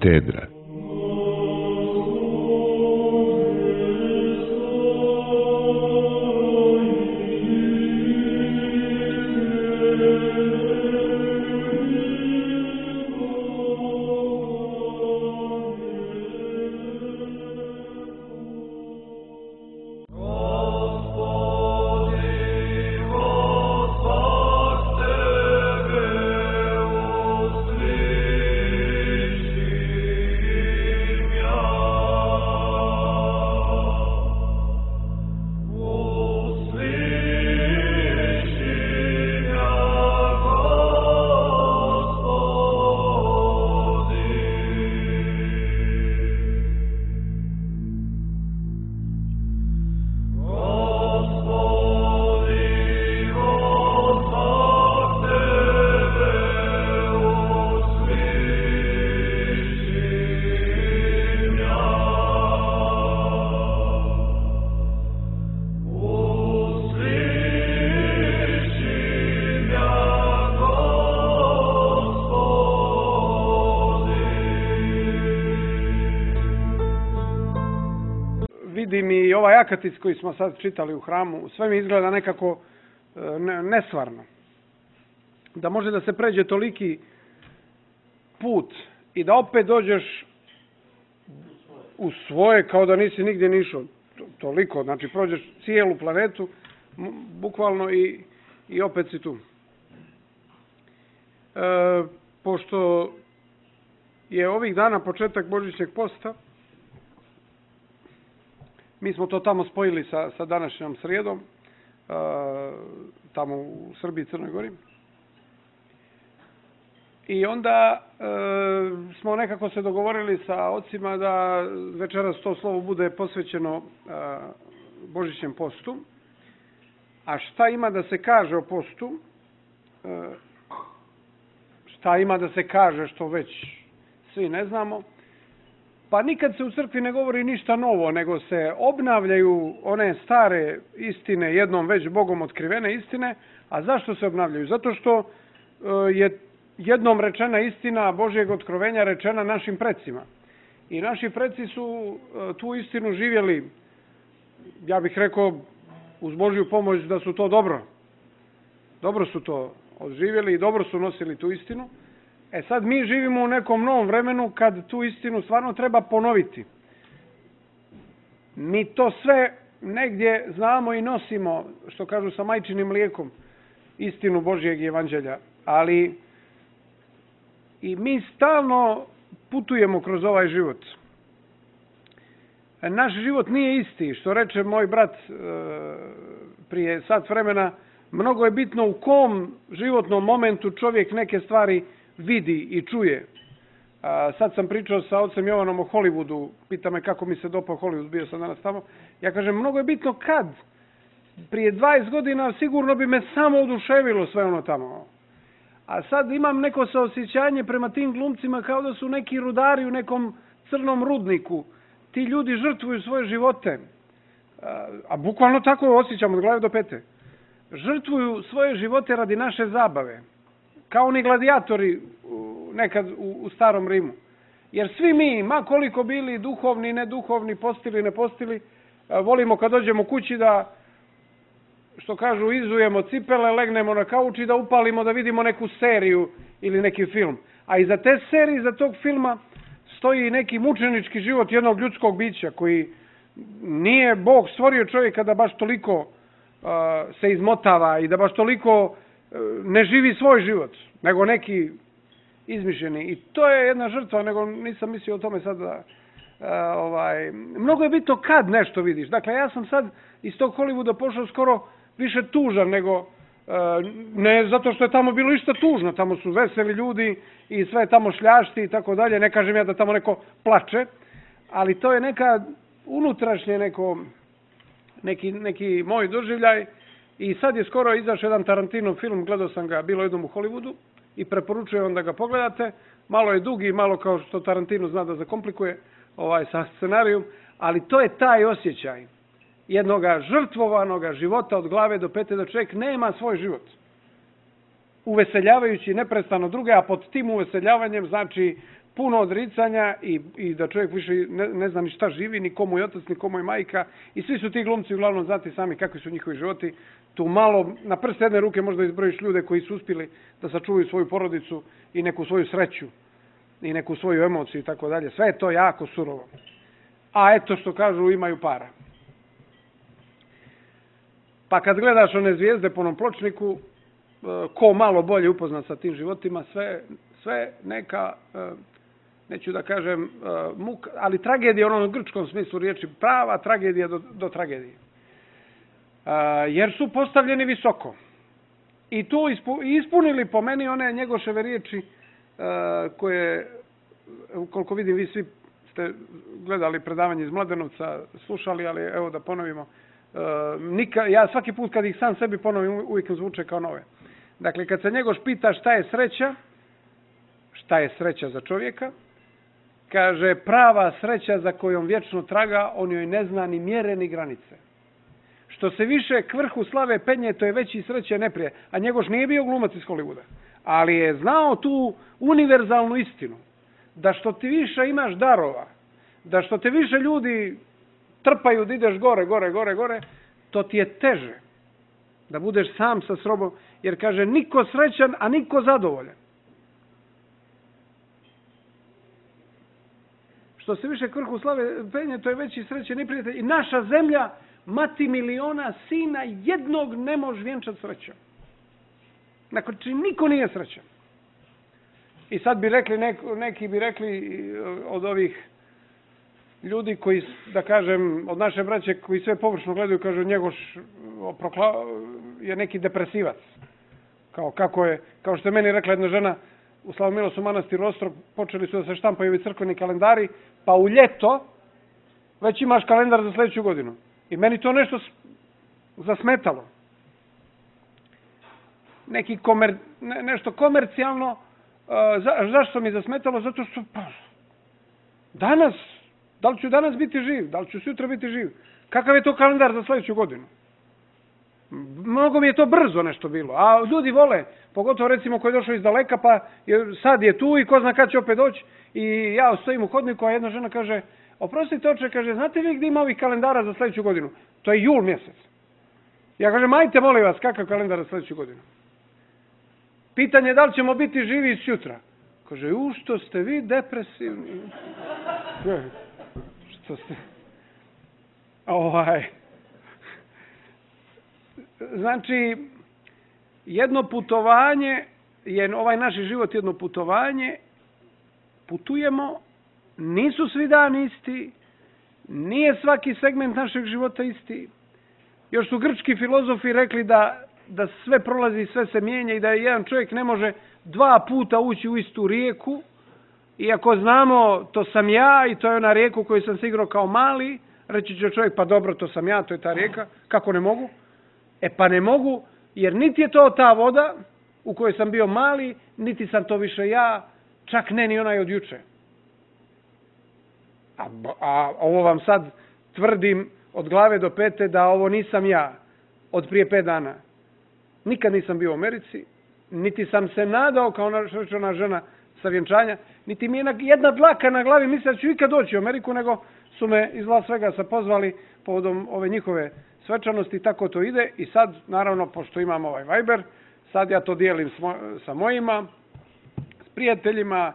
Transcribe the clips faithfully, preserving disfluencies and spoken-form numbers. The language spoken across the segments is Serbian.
Katedra. Vidim i ovaj akatic koji smo sad čitali u hramu, sve mi izgleda nekako nesvarno. Da može da se pređe toliki put i da opet dođeš u svoje kao da nisi nigdje ni išao. Toliko, znači prođeš cijelu planetu, bukvalno i, i opet si tu. E, pošto je ovih dana početak Božićnjeg posta, mi smo to tamo spojili sa, sa današnjom srijedom, e, tamo u Srbiji i Crnoj Gori. I onda e, smo nekako se dogovorili sa ocima da večeras to slovo bude posvećeno e, Božićnjem postu. A šta ima da se kaže o postu? E, šta ima da se kaže što već svi ne znamo? Pa nikad se u crkvi ne govori ništa novo, nego se obnavljaju one stare istine, jednom već Bogom otkrivene istine. A zašto se obnavljaju? Zato što je jednom rečena istina Božjeg otkrovenja rečena našim precima. I naši preci su tu istinu živjeli, ja bih rekao, uz Božju pomoć da su to dobro. Dobro su to odživjeli i dobro su nosili tu istinu. E sad mi živimo u nekom novom vremenu kad tu istinu stvarno treba ponoviti. Mi to sve negdje znamo i nosimo, što kažu sa majčinim mlijekom, istinu Božjeg evanđelja. Ali i mi stalno putujemo kroz ovaj život. Naš život nije isti, što reče moj brat prije sat vremena, mnogo je bitno u kom životnom momentu čovjek neke stvari vidi i čuje. Sad sam pričao sa ocem Jovanom o Hollywoodu, pita me kako mi se dopao Hollywood, bio sam danas tamo. Ja kažem, mnogo je bitno kad. Prije dvadeset godina sigurno bi me samo oduševilo sve ono tamo. A sad imam neko saosjećanje prema tim glumcima kao da su neki rudari u nekom crnom rudniku. Ti ljudi žrtvuju svoje živote. A, a bukvalno tako osjećam od glave do pete. Žrtvuju svoje živote radi naše zabave. Kao oni gladijatori nekad u, u starom Rimu. Jer svi mi, ma koliko bili duhovni, neduhovni, postili, ne postili, volimo kad dođemo kući da, što kažu, izujemo cipele, legnemo na kauč i da upalimo da vidimo neku seriju ili neki film. A iza te serije, iza tog filma stoji neki mučenički život jednog ljudskog bića koji nije Bog stvorio čovjeka da baš toliko uh, se izmotava i da baš toliko uh, ne živi svoj život, nego neki izmišljeni. I to je jedna žrtva, nego nisam mislio o tome sad da... Uh, ovaj, mnogo je bitno kad nešto vidiš. Dakle, ja sam sad iz tog Hollywooda pošao skoro više tužan nego, uh, ne zato što je tamo bilo išta tužno, tamo su veseli ljudi i sve je tamo šljašti i tako dalje, ne kažem ja da tamo neko plače, ali to je neka unutrašnje neko, neki, neki moj doživljaj. I sad je skoro izašao jedan Tarantinov film, gledao sam ga, bilo jednom u Hollywoodu i preporučujem vam da ga pogledate. Malo je dugi, malo kao što Tarantino zna da zakomplikuje ovaj sa scenarijom, ali to je taj osjećaj jednoga žrtvovanoga života od glave do pete, da čovjek nema svoj život. Uveseljavajući neprestano druge, a pod tim uveseljavanjem znači puno odricanja i, i da čovjek više ne, ne zna ni šta živi, ni komu je otac, ni komu je majka. I svi su ti glumci uglavnom znati sami kakvi su njihovi životi. Tu malo, na prst jedne ruke možda izbrojiš ljude koji su uspjeli da sačuvaju svoju porodicu i neku svoju sreću i neku svoju emociju i tako dalje. Sve je to jako surovo. A eto što kažu, imaju para. Pa kad gledaš one zvijezde po onom pločniku, ko malo bolje upoznat sa tim životima, sve, sve neka, neću da kažem muka, ali tragedija u onom grčkom smislu riječi, prava tragedija do, do tragedije. Jer su postavljeni visoko. I tu ispunili po meni one njegoševe riječi koje, koliko vidim, vi svi ste gledali predavanje iz Mladenovca, slušali, ali evo da ponovimo. Nika, ja svaki put kad ih sam sebi ponovim, uvijek zvuče kao nove. Dakle, kad se Njegoš pita šta je sreća, šta je sreća za čovjeka, kaže prava sreća za kojom vječno traga, on joj ne zna ni mjere ni granice. Što se više k vrhu slave penje, to je veći sreće neprije. A Njegoš nije bio glumac iz Hollywooda, ali je znao tu univerzalnu istinu. Da što ti više imaš darova, da što te više ljudi trpaju da ideš gore, gore, gore, gore, to ti je teže. Da budeš sam sa sobom, jer kaže niko srećan, a niko zadovoljan. Što se više k vrhu slave penje, to je veći sreće neprijatelj. I naša zemlja, mati miliona sina, jednog ne može vjenčati srećom. Znači, niko nije srećan. I sad bi rekli, neko, neki bi rekli od ovih ljudi koji, da kažem, od naše braće koji sve površno gledaju, kažu Njegoš je neki depresivac. Kao, kako je, kao što je meni rekla jedna žena, u Slavomilosu manastiru Ostrog počeli su da se štampaju ovi crkveni kalendari, pa u ljeto već imaš kalendar za sljedeću godinu. I meni to nešto zasmetalo. Neki komer, ne, nešto komercijalno. Uh, za, zašto mi zasmetalo? Zato što pa, danas, da li ću danas biti živ? Da li ću sutra biti živ? Kakav je to kalendar za sljedeću godinu? Mnogo mi je to brzo nešto bilo. A ljudi vole, pogotovo recimo koji je došao iz daleka, pa je, sad je tu i ko zna kad će opet doći. I ja stojim u hodniku, a jedna žena kaže, oprostite oče, kaže, znate vi gdje ima ovih kalendara za sljedeću godinu? To je jul mjesec. Ja kažem, ajte molim vas, kakav kalendar za sljedeću godinu? Pitanje je da li ćemo biti živi sutra. Kaže, u što ste vi depresivni? Što ste? Ovaj. Znači, jedno putovanje, je ovaj naš život jedno putovanje, putujemo, nisu svi dani isti, nije svaki segment našeg života isti. Još su grčki filozofi rekli da da sve prolazi, sve se mijenja i da jedan čovjek ne može dva puta ući u istu rijeku. Iako znamo, to sam ja i to je ona rijeka u kojoj sam se igrao kao mali, reći će čovjek, pa dobro, to sam ja, to je ta rijeka. Kako ne mogu? E pa ne mogu, jer niti je to ta voda u kojoj sam bio mali, niti sam to više ja, čak ne ni onaj od juče. A, a ovo vam sad tvrdim od glave do pete da ovo nisam ja od prije pet dana. Nikad nisam bio u Americi, niti sam se nadao kao ona žena sa vjenčanja, niti mi je jedna dlaka na glavi mislila da ću ikad doći u Ameriku, nego su me iz Las Vegasa pozvali povodom ove njihove svečanosti, tako to ide. I sad, naravno, pošto imam ovaj Viber, sad ja to dijelim sa mojima, s prijateljima,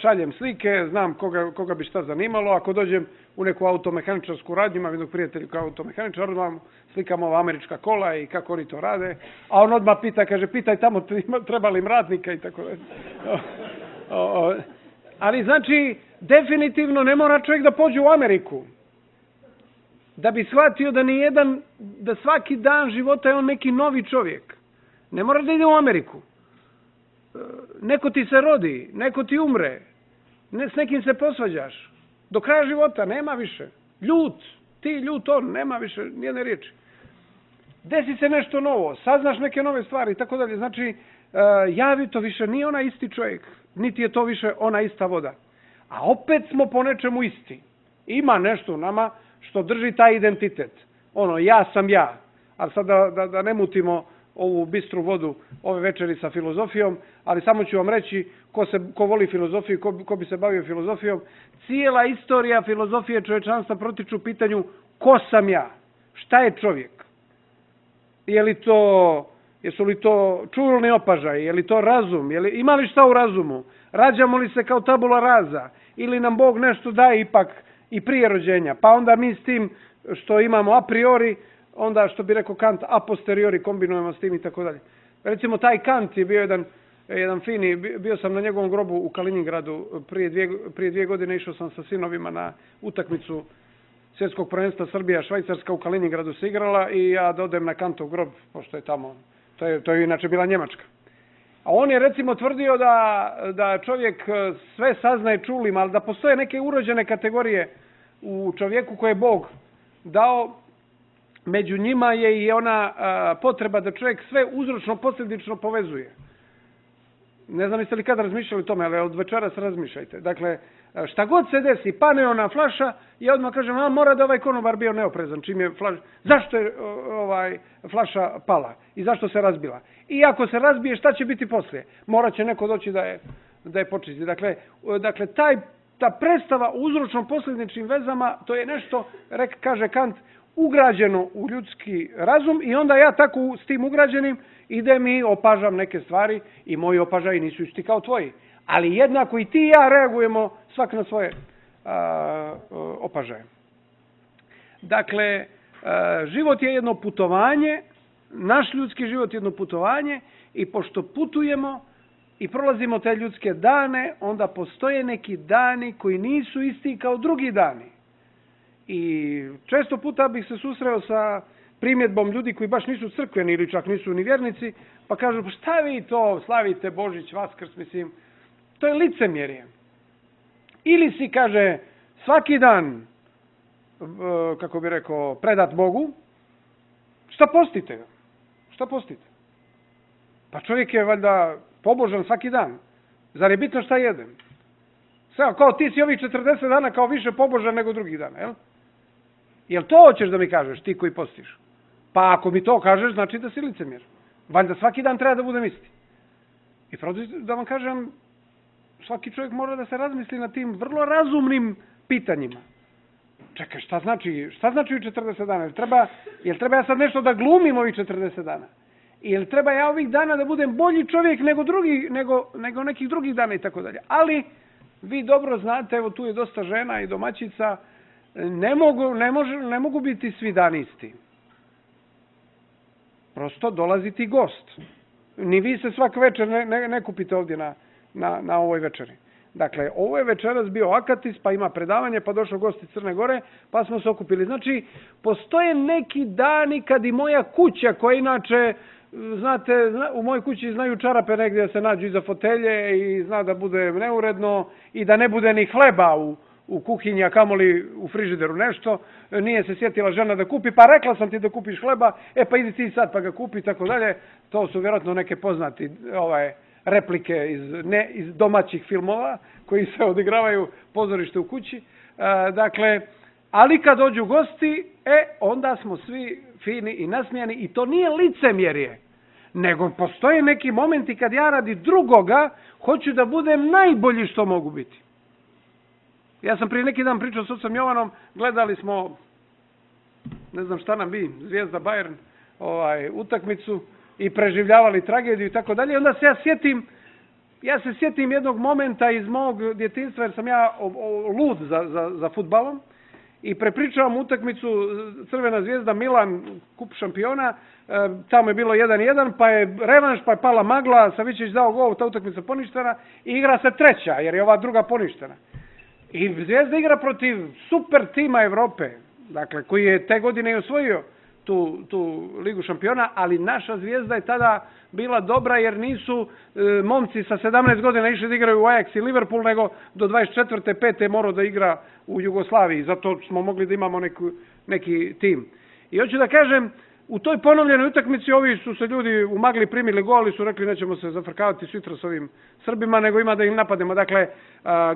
šaljem slike, znam koga, koga bi šta zanimalo. Ako dođem u neku automehaničarsku radnju, imam jednog prijatelja kao automehaničar, odmah slikam ova američka kola i kako oni to rade. A on odmah pita, kaže, pitaj tamo treba li im radnika i tako dalje. Ali znači, definitivno ne mora čovjek da pođe u Ameriku. Da bi shvatio da ni jedan, da svaki dan života je on neki novi čovjek. Ne mora da ide u Ameriku. Neko ti se rodi, neko ti umre, ne, s nekim se posvađaš. Do kraja života nema više. Ljut, ti ljut on, nema više nijedne riječi. Desi se nešto novo, saznaš neke nove stvari i tako dalje. Znači, javi to više nije ona isti čovjek, niti je to više ona ista voda. A opet smo po nečemu isti. Ima nešto u nama što drži taj identitet. Ono, ja sam ja. A sad da, da, da ne mutimo ovu bistru vodu ove večeri sa filozofijom, ali samo ću vam reći ko, se, ko voli filozofiju, ko, ko bi se bavio filozofijom. Cijela istorija filozofije čovječanstva protiču pitanju ko sam ja, šta je čovjek. Je li to, jesu li to čulni opažaj, je li to razum, je li, ima li šta u razumu, rađamo li se kao tabula rasa, ili nam Bog nešto daje ipak i prije rođenja, pa onda mi s tim što imamo a priori, onda što bi rekao Kant a posteriori kombinujemo s tim i tako dalje. Recimo taj Kant je bio jedan, jedan fini, bio sam na njegovom grobu u Kaliningradu prije dvije, prije dvije godine, išao sam sa sinovima na utakmicu svjetskog prvenstva Srbija Švajcarska u Kaliningradu se igrala i ja dodem na Kantov grob, pošto je tamo, to je, to je inače bila Njemačka. A on je recimo tvrdio da, da čovjek sve saznaje čulim, ali da postoje neke urođene kategorije u čovjeku koje je Bog dao. Među njima je i ona a, potreba da čovjek sve uzročno posljedično povezuje. Ne znam jeste li kad razmišljali o tome, ali od večeras razmišljajte. Dakle, šta god se desi, pane ona flaša i odmah kažem, a mora da ovaj konobar bio neoprezan. Čim je flaša, zašto je ovaj, flaša pala i zašto se razbila? I ako se razbije, šta će biti poslije? Morat će neko doći da je, da je počisti. Dakle, dakle taj, ta predstava o uzročno posljedičnim vezama, to je nešto, rek, kaže Kant, ugrađeno u ljudski razum i onda ja tako s tim ugrađenim idem i opažam neke stvari i moji opažaji nisu isti kao tvoji. Ali jednako i ti i ja reagujemo svak na svoje a, opažaje. Dakle, a, život je jedno putovanje, naš ljudski život je jedno putovanje i pošto putujemo i prolazimo te ljudske dane, onda postoje neki dani koji nisu isti kao drugi dani. I često puta bih se susreo sa primjedbom ljudi koji baš nisu crkveni ili čak nisu ni vjernici, pa kažu, pa šta vi to slavite Božić, Vaskrs, mislim, to je licemjerje. Ili si, kaže, svaki dan, kako bi rekao, predat Bogu, šta postite? Šta postite? Pa čovjek je valjda pobožan svaki dan. Zar je bitno šta jedem? Sve, kao ti si ovih četrdeset dana kao više pobožan nego drugih dana, jel? Jel to hoćeš da mi kažeš, ti koji postiš? Pa ako mi to kažeš, znači da si licemjer. Valjda svaki dan treba da budem isti. I pravo da vam kažem, svaki čovjek mora da se razmisli na tim vrlo razumnim pitanjima. Čekaj, šta znači, šta znači četrdeset dana? Jel treba, jel treba ja sad nešto da glumim ovih četrdeset dana? Jel treba ja ovih dana da budem bolji čovjek nego, drugi, nego, nego nekih drugih dana i tako dalje? Ali vi dobro znate, evo tu je dosta žena i domaćica, ne mogu, ne može, ne mogu biti svi dani isti. Prosto dolazi ti gost. Ni vi se svak večer ne, ne, ne kupite ovdje na, na, na ovoj večeri. Dakle, ovo je večeras bio Akatis, pa ima predavanje, pa došao gost iz Crne Gore, pa smo se okupili. Znači, postoje neki dani kad i moja kuća, koja inače, znate, u mojoj kući znaju čarape negdje da se nađu iza fotelje i zna da bude neuredno i da ne bude ni hleba u, u kuhinji, a kamoli u frižideru nešto. Nije se sjetila žena da kupi, pa rekla sam ti da kupiš hleba, e pa idi ti sad pa ga kupi i tako dalje. To su vjerojatno neke poznati ovaj, replike iz, ne, iz domaćih filmova koji se odigravaju pozorište u kući. E, dakle, ali kad dođu gosti, e, onda smo svi fini i nasmijani i to nije licemjerje, nego postoje neki momenti kad ja radi drugoga hoću da budem najbolji što mogu biti. Ja sam prije neki dan pričao s ocem Jovanom, gledali smo, ne znam šta nam bi, Zvijezda Bayern, ovaj, utakmicu i preživljavali tragediju i tako dalje. I onda se ja sjetim, ja se sjetim jednog momenta iz mog djetinjstva, jer sam ja o, o, lud za, za, za fudbalom i prepričavam utakmicu Crvena Zvijezda Milan, kup šampiona, e, tamo je bilo jedan jedan, pa je revanš, pa je pala magla, Savićević dao gol, ta utakmica poništena i igra se treća, jer je ova druga poništena. I Zvijezda igra protiv super tima Evrope, dakle, koji je te godine i osvojio tu, tu ligu šampiona, ali naša Zvijezda je tada bila dobra jer nisu e, momci sa sedamnaest godina išli da igraju u Ajax i Liverpool, nego do dvadeset četvrte pete morao da igra u Jugoslaviji, zato smo mogli da imamo neku, neki tim. I hoću da kažem, u toj ponovljenoj utakmici ovi su se ljudi u magli primili gol i su rekli nećemo se zafrkavati sutra s ovim Srbima, nego ima da im napademo. Dakle,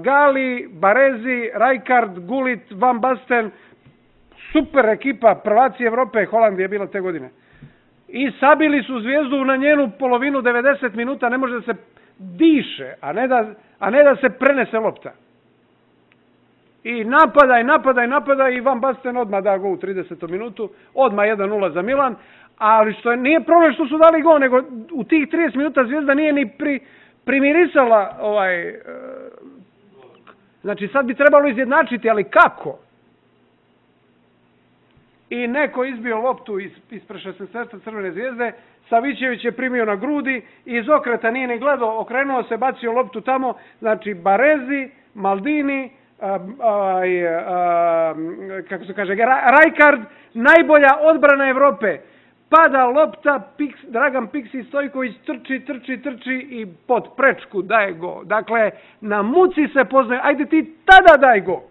Gali, Barezi, Rijkaard, Gullit, Van Basten, super ekipa, prvaci Evrope, Holandija je bila te godine. i sabili su zvijezdu na njenu polovinu devedeset minuta, ne može da se diše, a ne da, a ne da se prenese lopta. I napadaj, napadaj, napadaj i Van Basten odmah da gol u tridesetom minutu, odmah jedan nula za Milan, ali što je, nije problem što su dali gol, nego u tih trideset minuta Zvijezda nije ni pri, primirisala ovaj, e, znači sad bi trebalo izjednačiti, ali kako? I neko izbio loptu iz, ispred šesnaestorca Crvene Zvijezde, Savićević je primio na grudi i iz okreta nije ni gledao, okrenuo se, bacio loptu tamo, znači Barezi, Maldini, a, a, a, kako se kaže, Rijkaard, najbolja odbrana Evrope. Pada lopta, Piks, Dragan Piksi Stojković trči, trči, trči i pod prečku daje go. Dakle, na muci se poznaje, ajde ti tada daj go.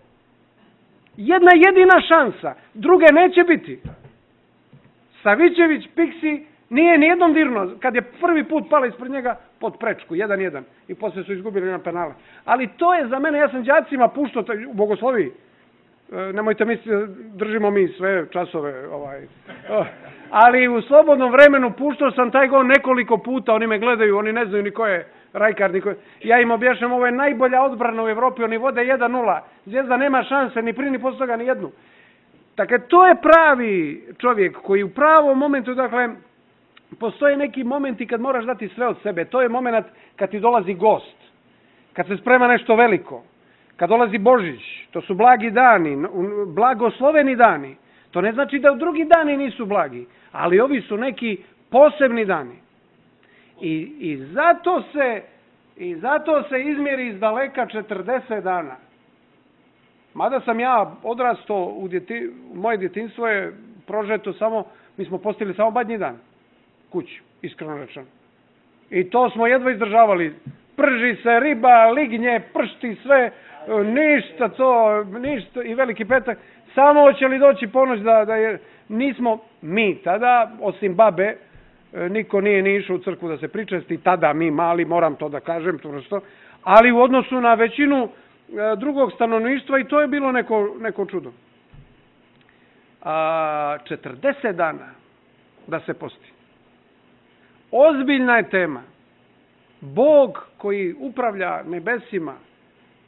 Jedna jedina šansa, druge neće biti. Savićević, Piksi, nije nijednom dirno. Kad je prvi put pala ispred njega, pod prečku, jedan jedan. I poslije su izgubili na penale. Ali to je za mene, ja sam đacima puštao u Bogosloviji. E, nemojte misliti, držimo mi sve časove. Ovaj. Ali u slobodnom vremenu puštao sam taj gol nekoliko puta. Oni me gledaju, oni ne znaju ni ko je Rijkaard. Ni ko je. Ja im objašnjam, ovo je najbolja odbrana u Evropi. Oni vode jedan nula. Zvijezda nema šanse, ni prije ni posle toga, ni jednu. Dakle, to je pravi čovjek koji u pravom momentu, dakle, postoje neki momenti kad moraš dati sve od sebe. To je moment kad ti dolazi gost, kad se sprema nešto veliko, kad dolazi Božić. To su blagi dani, blagosloveni dani. To ne znači da drugi dani nisu blagi, ali ovi su neki posebni dani. I, i, zato, se, i zato se izmjeri iz daleka četrdeset dana. Mada sam ja odrastao, u djeti, moje djetinjstvo je prožeto samo, mi smo postigli samo badnji dan kući, iskreno rečeno. I to smo jedva izdržavali. Prži se riba, lignje, pršti, sve, ništa to, ništa, i veliki petak. Samo hoće li doći ponoć da, da je, nismo mi tada, osim babe, niko nije ni išao u crkvu da se pričesti, tada mi mali, moram to da kažem, to što, ali u odnosu na većinu drugog stanovništva i to je bilo neko, neko čudo. A, četrdeset dana da se posti. Ozbiljna je tema. Bog koji upravlja nebesima,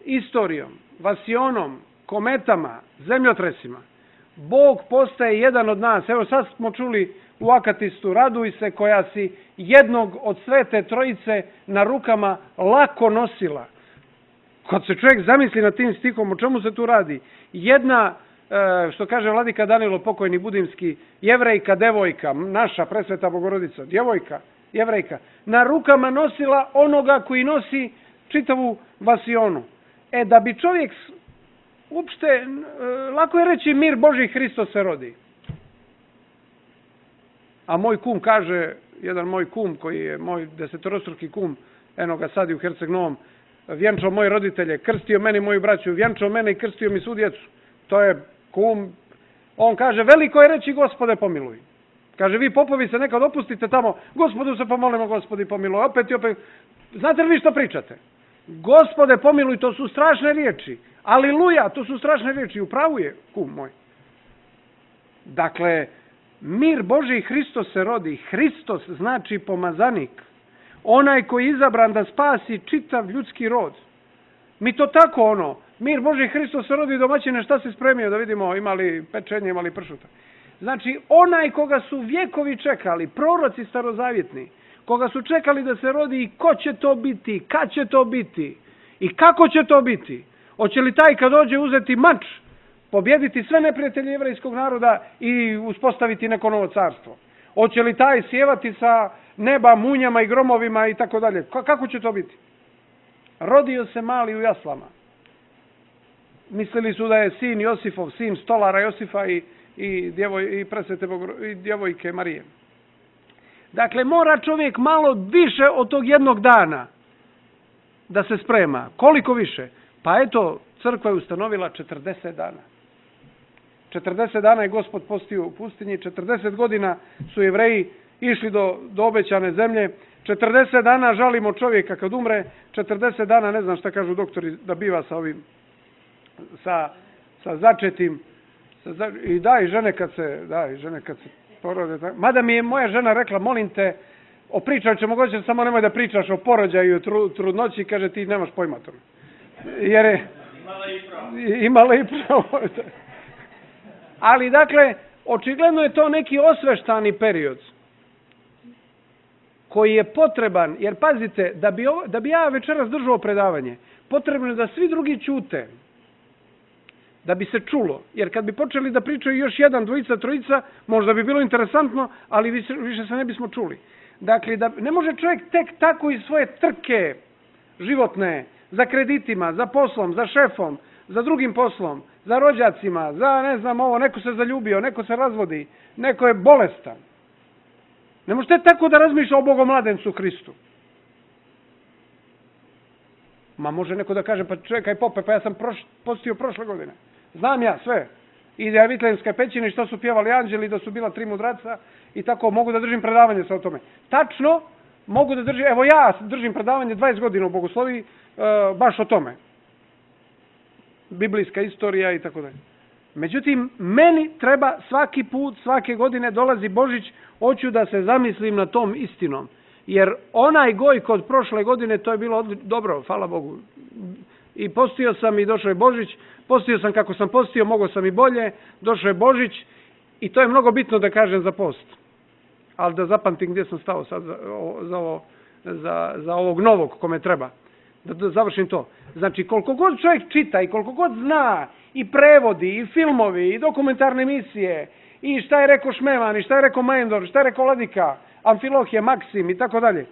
istorijom, vasionom, kometama, zemljotresima. Bog postaje jedan od nas. Evo sad smo čuli u Akatistu, raduj se koja si jednog od svete trojice na rukama lako nosila. Kad se čovjek zamisli na tim stihom, o čemu se tu radi? Jedna, što kaže vladika Danilo pokojni budimski, jevrejka, devojka, naša presveta Bogorodica, djevojka, jevrejka, na rukama nosila onoga koji nosi čitavu vasionu. E, da bi čovjek, uopšte, lako je reći mir Boži Hristos se rodi. A moj kum kaže, jedan moj kum koji je moj desetorostruki kum, eno ga sad i u Herceg Novom, vjenčao moje roditelje, krstio meni moju braću, vjenčao mene i krstio mi svu djecu. To je kum. On kaže, veliko je reći Gospode pomiluj. Kaže, vi popovi se nekad opustite tamo, Gospodu se pomolimo, Gospodi pomiluj. Opet i opet. Znate li vi što pričate? Gospode pomiluj, to su strašne riječi. Aliluja, to su strašne riječi. Upravo je kum moj. Dakle, mir Boži Hristos se rodi. Hristos znači pomazanik. Onaj koji je izabran da spasi čitav ljudski rod. Mi to tako ono, mir Boži Hristos se rodi, domaćine, šta se spremio da vidimo, imali pečenje, imali pršuta. Znači, onaj koga su vjekovi čekali, proroci starozavjetni, koga su čekali da se rodi i ko će to biti, kad će to biti i kako će to biti. Hoće li taj kad dođe uzeti mač, pobjediti sve neprijatelje jevrejskog naroda i uspostaviti neko novo carstvo? Hoće li taj sjevati sa neba munjama i gromovima i tako dalje? Kako će to biti? Rodio se mali u jaslama. Mislili su da je sin Josifov, sin stolara Josifa i, i, djevoj, i presvete Bogor, i djevojke Marije. Dakle, mora čovjek malo više od tog jednog dana da se sprema. Koliko više? Pa eto, crkva je ustanovila četrdeset dana. četrdeset dana je Gospod postio u pustinji, četrdeset godina su Jevreji išli do, do obećane zemlje, četrdeset dana žalimo čovjeka kad umre, četrdeset dana, ne znam šta kažu doktori, da biva sa ovim, sa, sa začetim, sa, i da, i žene kad se, da, i žene kad se porode, tako. Mada mi je moja žena rekla, molim te, opričat ćemo moguće, samo nemoj da pričaš o porođaju, tru, trudnoći, kaže ti nemaš pojma tome. Jer je... Imala i pravo. Imala i pravo. Ali dakle, očigledno je to neki osveštani period koji je potreban, jer pazite, da bi, ovo, da bi ja večeras držao predavanje, potrebno je da svi drugi ćute, da bi se čulo. Jer kad bi počeli da pričaju još jedan, dvojica, trojica, možda bi bilo interesantno, ali više, više se ne bismo čuli. Dakle, da, ne može čovjek tek tako iz svoje trke životne, za kreditima, za poslom, za šefom, za drugim poslom, za rođacima, za ne znam ovo, neko se zaljubio, neko se razvodi, neko je bolestan. Ne možete tako da razmišlja o Bogomladencu Hristu. Ma može neko da kaže, pa čekaj pope, pa ja sam proš, postio prošle godine. Znam ja sve. I da je Vitlenska pećina i što su pjevali anđeli, da su bila tri mudraca i tako mogu da držim predavanje sa o tome. Tačno, mogu da držim, evo ja držim predavanje dvadeset godina u Bogosloviji, e, baš o tome. Biblijska istorija i tako dalje. Međutim, meni treba svaki put, svake godine dolazi Božić, hoću da se zamislim na tom istinom. Jer onaj goj kod prošle godine, to je bilo dobro, hvala Bogu. I postio sam i došao je Božić, postio sam kako sam postio, mogao sam i bolje, došao je Božić i to je mnogo bitno da kažem za post. Ali da zapamtim gdje sam stao sad za, za, ovo, za, za ovog novog kome treba. Da, da završim to. Znači, koliko god čovjek čita i koliko god zna i prevodi, i filmovi, i dokumentarne emisije, i šta je rekao Šmeman, i šta je rekao Majendor, šta je rekao Ladika, Amfilohije, Maksim i tako dalje.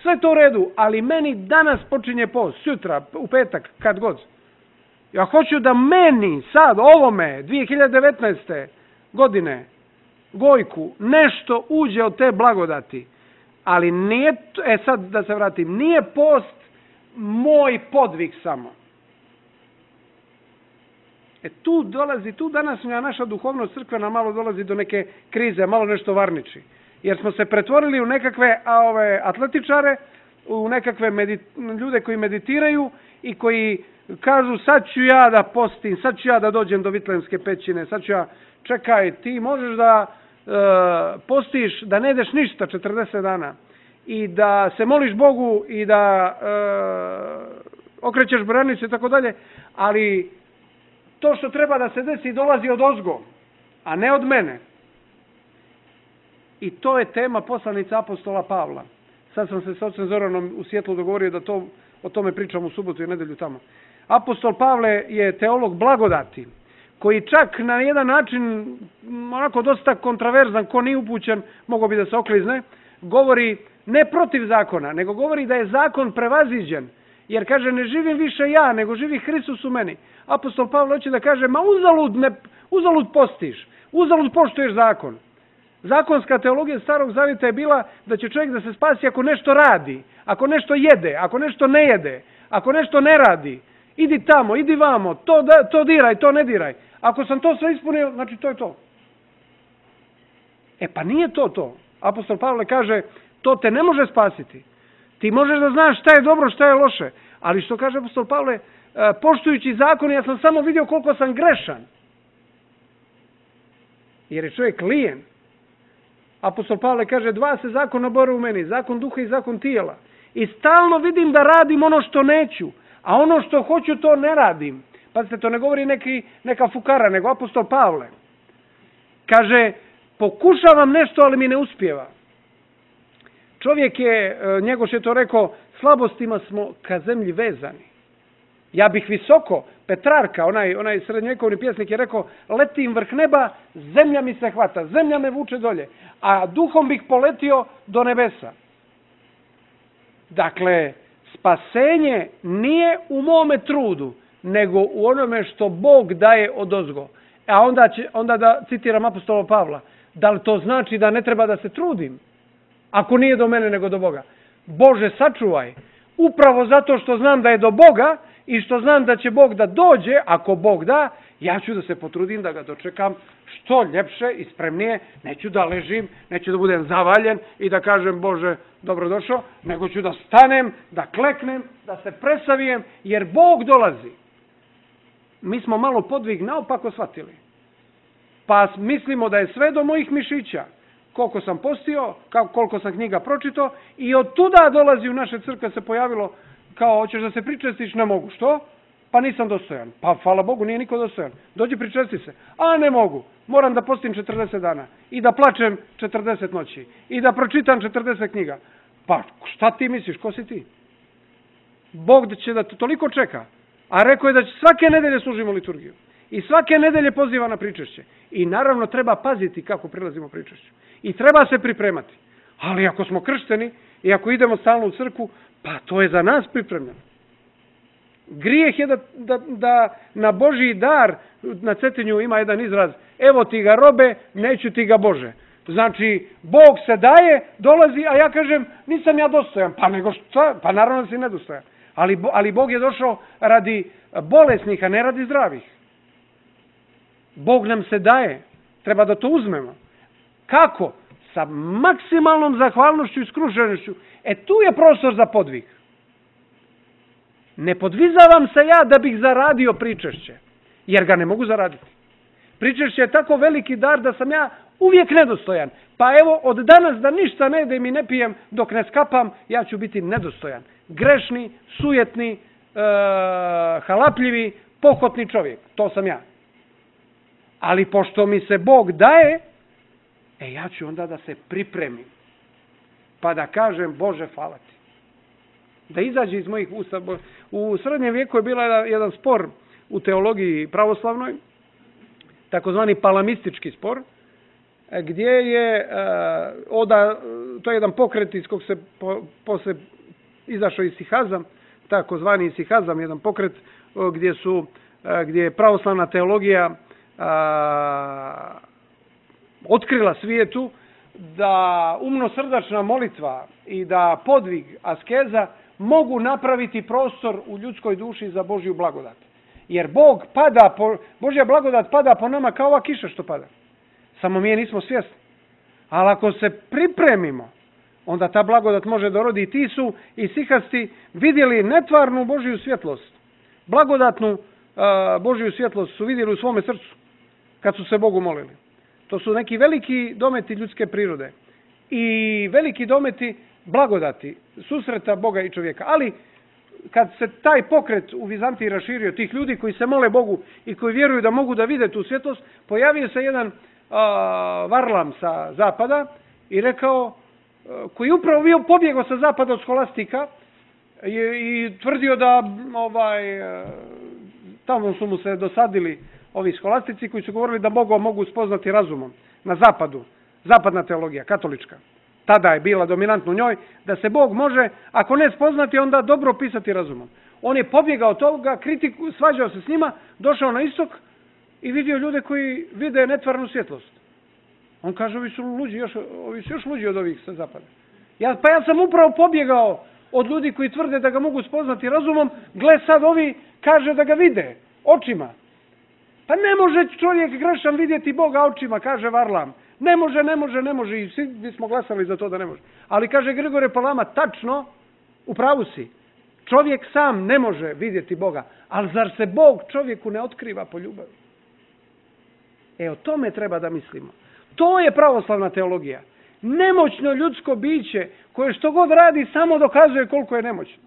Sve to u redu, ali meni danas počinje post, sutra, u petak, kad god. Ja hoću da meni sad, ovome, dvije hiljade devetnaeste. godine, Gojku, nešto uđe od te blagodati. Ali nije, e sad da se vratim, nije post moj podvig samo. E tu dolazi, tu danas naša duhovnost crkvena malo dolazi do neke krize, malo nešto varniči. Jer smo se pretvorili u nekakve a, ove, atletičare, u nekakve medit, ljude koji meditiraju i koji kažu sad ću ja da postim, sad ću ja da dođem do Vitlenske pećine, sad ću ja, čekaj, ti možeš da e, postiš, da ne ideš ništa četrdeset dana i da se moliš Bogu i da e, okrećeš branicu i tako dalje, ali to što treba da se desi dolazi od ozgo, a ne od mene. I to je tema poslanica apostola Pavla. Sad sam se s ocem Zoranom u Sjetlu dogovorio da to, o tome pričam u subotu i nedelju tamo. Apostol Pavle je teolog blagodati, koji čak na jedan način, onako dosta kontraverzan, ko nije upućen, mogao bi da se oklizne, govori ne protiv zakona, nego govori da je zakon prevaziđen. Jer kaže, ne živim više ja, nego živi Hristos u meni. Apostol Pavle hoće da kaže, ma uzalud, ne, uzalud postiš, uzalud poštuješ zakon. Zakonska teologija Starog Zavjeta je bila da će čovjek da se spasi ako nešto radi, ako nešto jede, ako nešto ne jede, ako nešto ne radi. Idi tamo, idi vamo, to, da, to diraj, to ne diraj. Ako sam to sve ispunio, znači to je to. E pa nije to to. Apostol Pavle kaže, to te ne može spasiti. Ti možeš da znaš šta je dobro, šta je loše. Ali što kaže apostol Pavle, poštujući zakon, ja sam samo vidio koliko sam grešan. Jer je čovjek lijen. Apostol Pavle kaže, dva se zakona bore u meni, zakon duha i zakon tijela. I stalno vidim da radim ono što neću, a ono što hoću to ne radim. Pazite, to ne govori neki, neka fukara, nego apostol Pavle. Kaže, pokušavam nešto, ali mi ne uspijeva. Čovjek je, Njegoš je to rekao, slabostima smo ka zemlji vezani. Ja bih visoko, Petrarka, onaj, onaj srednjovjekovni pjesnik je rekao, letim vrh neba, zemlja mi se hvata, zemlja me vuče dolje, a duhom bih poletio do nebesa. Dakle, spasenje nije u mome trudu, nego u onome što Bog daje odozgo. A onda, će, onda da citiram apostola Pavla, da li to znači da ne treba da se trudim? Ako nije do mene nego do Boga. Bože, sačuvaj. Upravo zato što znam da je do Boga i što znam da će Bog da dođe, ako Bog da, ja ću da se potrudim da ga dočekam što ljepše i spremnije. Neću da ležim, neću da budem zavaljen i da kažem Bože, dobrodošao, nego ću da stanem, da kleknem, da se presavijem, jer Bog dolazi. Mi smo malo podvig naopako shvatili. Pa mislimo da je sve do mojih mišića. koliko sam postio, koliko sam knjiga pročitao i od tuda dolazi u naše crkve se pojavilo kao, hoćeš da se pričestiš, ne mogu. Što? Pa nisam dostojan. Pa hvala Bogu, nije niko dostojan. Dođi pričesti se. A ne mogu. Moram da postim četrdeset dana. I da plačem četrdeset noći. I da pročitam četrdeset knjiga. Pa šta ti misliš? Ko si ti? Bog će da te toliko čeka. A rekao je da će svake nedelje služimo liturgiju. I svake nedelje poziva na pričešće. I naravno treba paziti kako prilazimo pričešću. I treba se pripremati. Ali ako smo kršteni i ako idemo stalno u crkvu, pa to je za nas pripremljeno. Grijeh je da, da, da na Božji dar, na Cetinju ima jedan izraz, evo ti ga robe, neću ti ga Bože. Znači, Bog se daje, dolazi, a ja kažem, nisam ja dostojan. Pa nego šta? Pa naravno da si nedostojan. Ali, ali Bog je došao radi bolesnih, a ne radi zdravih. Bog nam se daje. Treba da to uzmemo. Kako? Sa maksimalnom zahvalnošću i skrušenošću. E tu je prostor za podvig. Ne podvizavam se ja da bih zaradio pričešće. Jer ga ne mogu zaraditi. Pričešće je tako veliki dar da sam ja uvijek nedostojan. Pa evo, od danas da ništa ne jedem i ne pijem dok ne skapam, ja ću biti nedostojan. Grešni, sujetni, e, halapljivi, pohotni čovjek. To sam ja. Ali pošto mi se Bog daje, e ja ću onda da se pripremim. Pa da kažem, Bože, hvala ti. Da izađe iz mojih usta. U srednjem vijeku je bila jedan spor u teologiji pravoslavnoj, takozvani palamistički spor, gdje je oda, to je jedan pokret iz kog se po, posle izašao isihazam, takozvani isihazam, jedan pokret gdje su, gdje je pravoslavna teologija a, otkrila svijetu da umnosrdačna molitva i da podvig, askeza mogu napraviti prostor u ljudskoj duši za Božju blagodat. Jer Bog pada, po, Božja blagodat pada po nama kao ova kiša što pada. Samo mi je nismo svjesni. Ali ako se pripremimo, onda ta blagodat može da rodi. I ti su isihasti vidjeli netvarnu Božju svjetlost. Blagodatnu uh, Božju svjetlost su vidjeli u svome srcu kad su se Bogu molili. To su neki veliki dometi ljudske prirode. I veliki dometi blagodati, susreta Boga i čovjeka. Ali kad se taj pokret u Vizantiji raširio, tih ljudi koji se mole Bogu i koji vjeruju da mogu da vide tu svjetlost, pojavio se jedan uh, varlam sa zapada i rekao, uh, koji upravo bio pobjegao sa zapada od skolastika i, i tvrdio da ovaj, uh, tamo su mu se dosadili ovi skolastici koji su govorili da Boga mogu spoznati razumom na zapadu, zapadna teologija, katolička. Tada je bila dominantna u njoj, da se Bog može, ako ne spoznati, onda dobro opisati razumom. On je pobjegao od toga, kritiku, svađao se s njima, došao na istok i vidio ljude koji vide netvarnu svjetlost. On kaže, ovi su luđi, još, ovi su još luđi od ovih sa zapada. Ja, pa ja sam upravo pobjegao od ljudi koji tvrde da ga mogu spoznati razumom, gle sad ovi kaže da ga vide očima. Pa ne može čovjek grešan vidjeti Boga očima, kaže Varlam. Ne može, ne može, ne može. I svi bismo glasali za to da ne može. Ali kaže Grigorije Palama, tačno, u pravu si. Čovjek sam ne može vidjeti Boga. Ali zar se Bog čovjeku ne otkriva po ljubavi? E, o tome treba da mislimo. To je pravoslavna teologija. Nemoćno ljudsko biće koje što god radi samo dokazuje koliko je nemoćno.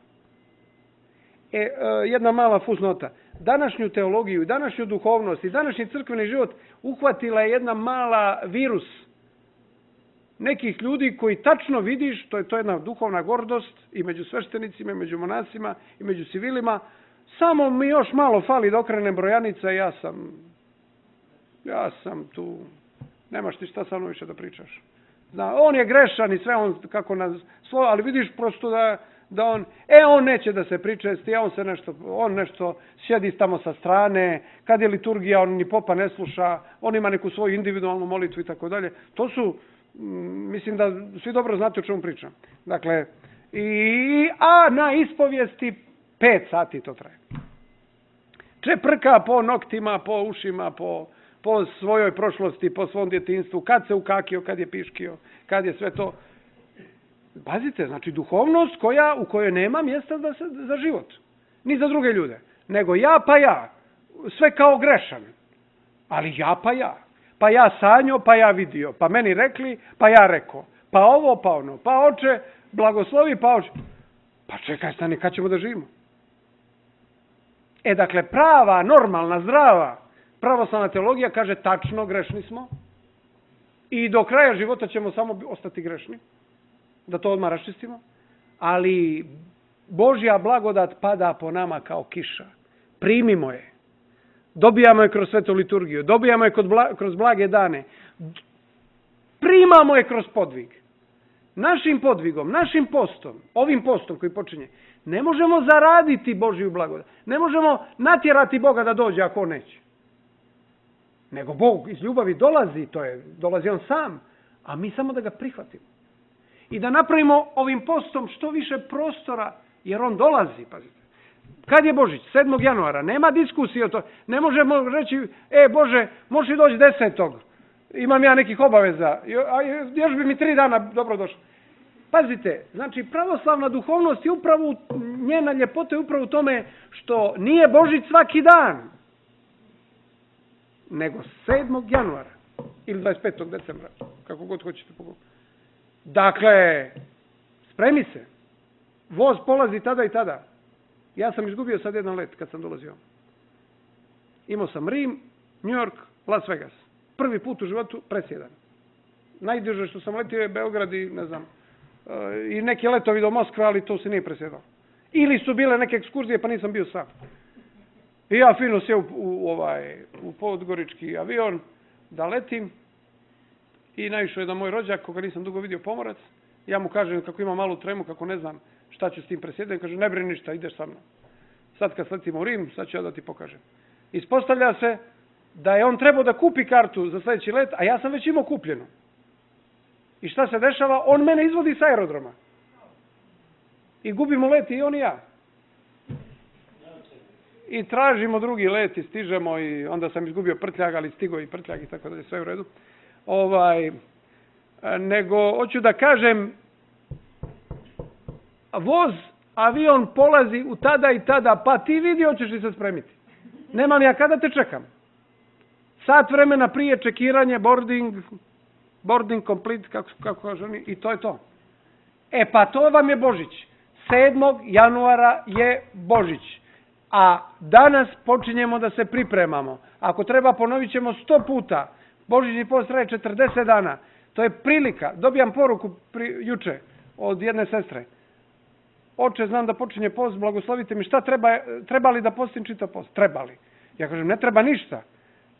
E, jedna mala fusnota. Današnju teologiju, današnju duhovnost i današnji crkveni život uhvatila je jedna mala virus nekih ljudi koji tačno vidiš, to je to jedna duhovna gordost i među sveštenicima, i među monasima, i među civilima. Samo mi još malo fali da okrenem brojanica i ja sam, ja sam tu, nemaš ti šta sa mnom više da pričaš. Zna, on je grešan i sve on kako nas svoj, ali vidiš prosto da da on, e, on neće da se pričesti, on se nešto, on nešto sjedi tamo sa strane, kad je liturgija, on ni popa ne sluša, on ima neku svoju individualnu molitvu i tako dalje. To su, mislim da svi dobro znate o čemu pričam. Dakle, i, a na ispovijesti pet sati to traje. Čeprka po noktima, po ušima, po, po svojoj prošlosti, po svom djetinjstvu, kad se ukakio, kad je piškio, kad je sve to. Pazite, znači duhovnost koja, u kojoj nema mjesta za, za život. Ni za druge ljude. Nego ja pa ja. Sve kao grešan. Ali ja pa ja. pa ja sanjo, pa ja vidio, pa meni rekli, pa ja rekao, pa ovo, pa ono, pa oče, blagoslovi, pa oče. Pa čekaj, stani, kad ćemo da živimo? E, dakle, prava, normalna, zdrava, pravoslavna teologija kaže tačno, grešni smo i do kraja života ćemo samo ostati grešni, da to odmah raščistimo, ali Božja blagodat pada po nama kao kiša. Primimo je. Dobijamo je kroz svetu liturgiju, dobijamo je kroz blage dane, primamo je kroz podvig. Našim podvigom, našim postom, ovim postom koji počinje, ne možemo zaraditi Božju blagodat. Ne možemo natjerati Boga da dođe ako on neće. Nego Bog iz ljubavi dolazi, to je, dolazi on sam, a mi samo da ga prihvatimo. I da napravimo ovim postom što više prostora, jer on dolazi, pazite. Kad je Božić? sedmog januara. Nema diskusije o to. Ne možemo reći, e Bože, možeš li doći desetog Imam ja nekih obaveza. A još bi mi tri dana dobro došlo. Pazite, znači pravoslavna duhovnost je upravo, njena ljepota je upravo u tome što nije Božić svaki dan, nego sedmog januara ili dvadeset petog decembra, kako god hoćete pogledati. Dakle, spremi se. Voz polazi tada i tada. Ja sam izgubio sad jedan let kad sam dolazio. Imao sam Rim, New York, Las Vegas. Prvi put u životu presjedan. Najduže što sam letio je Beograd i ne znam, i neki letovi do Moskve, ali to se nije presjedao. Ili su bile neke ekskurzije pa nisam bio sam. I ja fino sjeo u, u, ovaj, u podgorički avion da letim i naišao je da moj rođak, koga nisam dugo vidio, pomorac. Ja mu kažem kako ima malu tremu, kako ne znam šta ću s tim presjedati. Kaže, ne brini ništa, ideš sa mnom. Sad kad sletimo u Rim, sad ću ja da ti pokažem. Ispostavlja se da je on trebao da kupi kartu za sljedeći let, a ja sam već imao kupljenu. I šta se dešava? On mene izvodi s aerodroma. I gubimo let i on i ja. I tražimo drugi let i stižemo i onda sam izgubio prtljag, ali stigo i prtljag i tako da je sve u redu. Ovaj, nego, hoću da kažem, voz, avion polazi u tada i tada, pa ti vidi, hoćeš li se spremiti. Nemam ja kada te čekam. Sat vremena prije čekiranje, boarding, boarding complete, kako, kako kažu oni, i to je to. E pa to vam je Božić. sedmog januara je Božić. A danas počinjemo da se pripremamo. Ako treba, ponovit ćemo sto puta. Božićni post traje četrdeset dana. To je prilika. Dobijam poruku pri, juče od jedne sestre. Oče, znam da počinje post, blagoslovite mi. Šta treba, treba li da postim čitav post? Treba li? Ja kažem, ne treba ništa.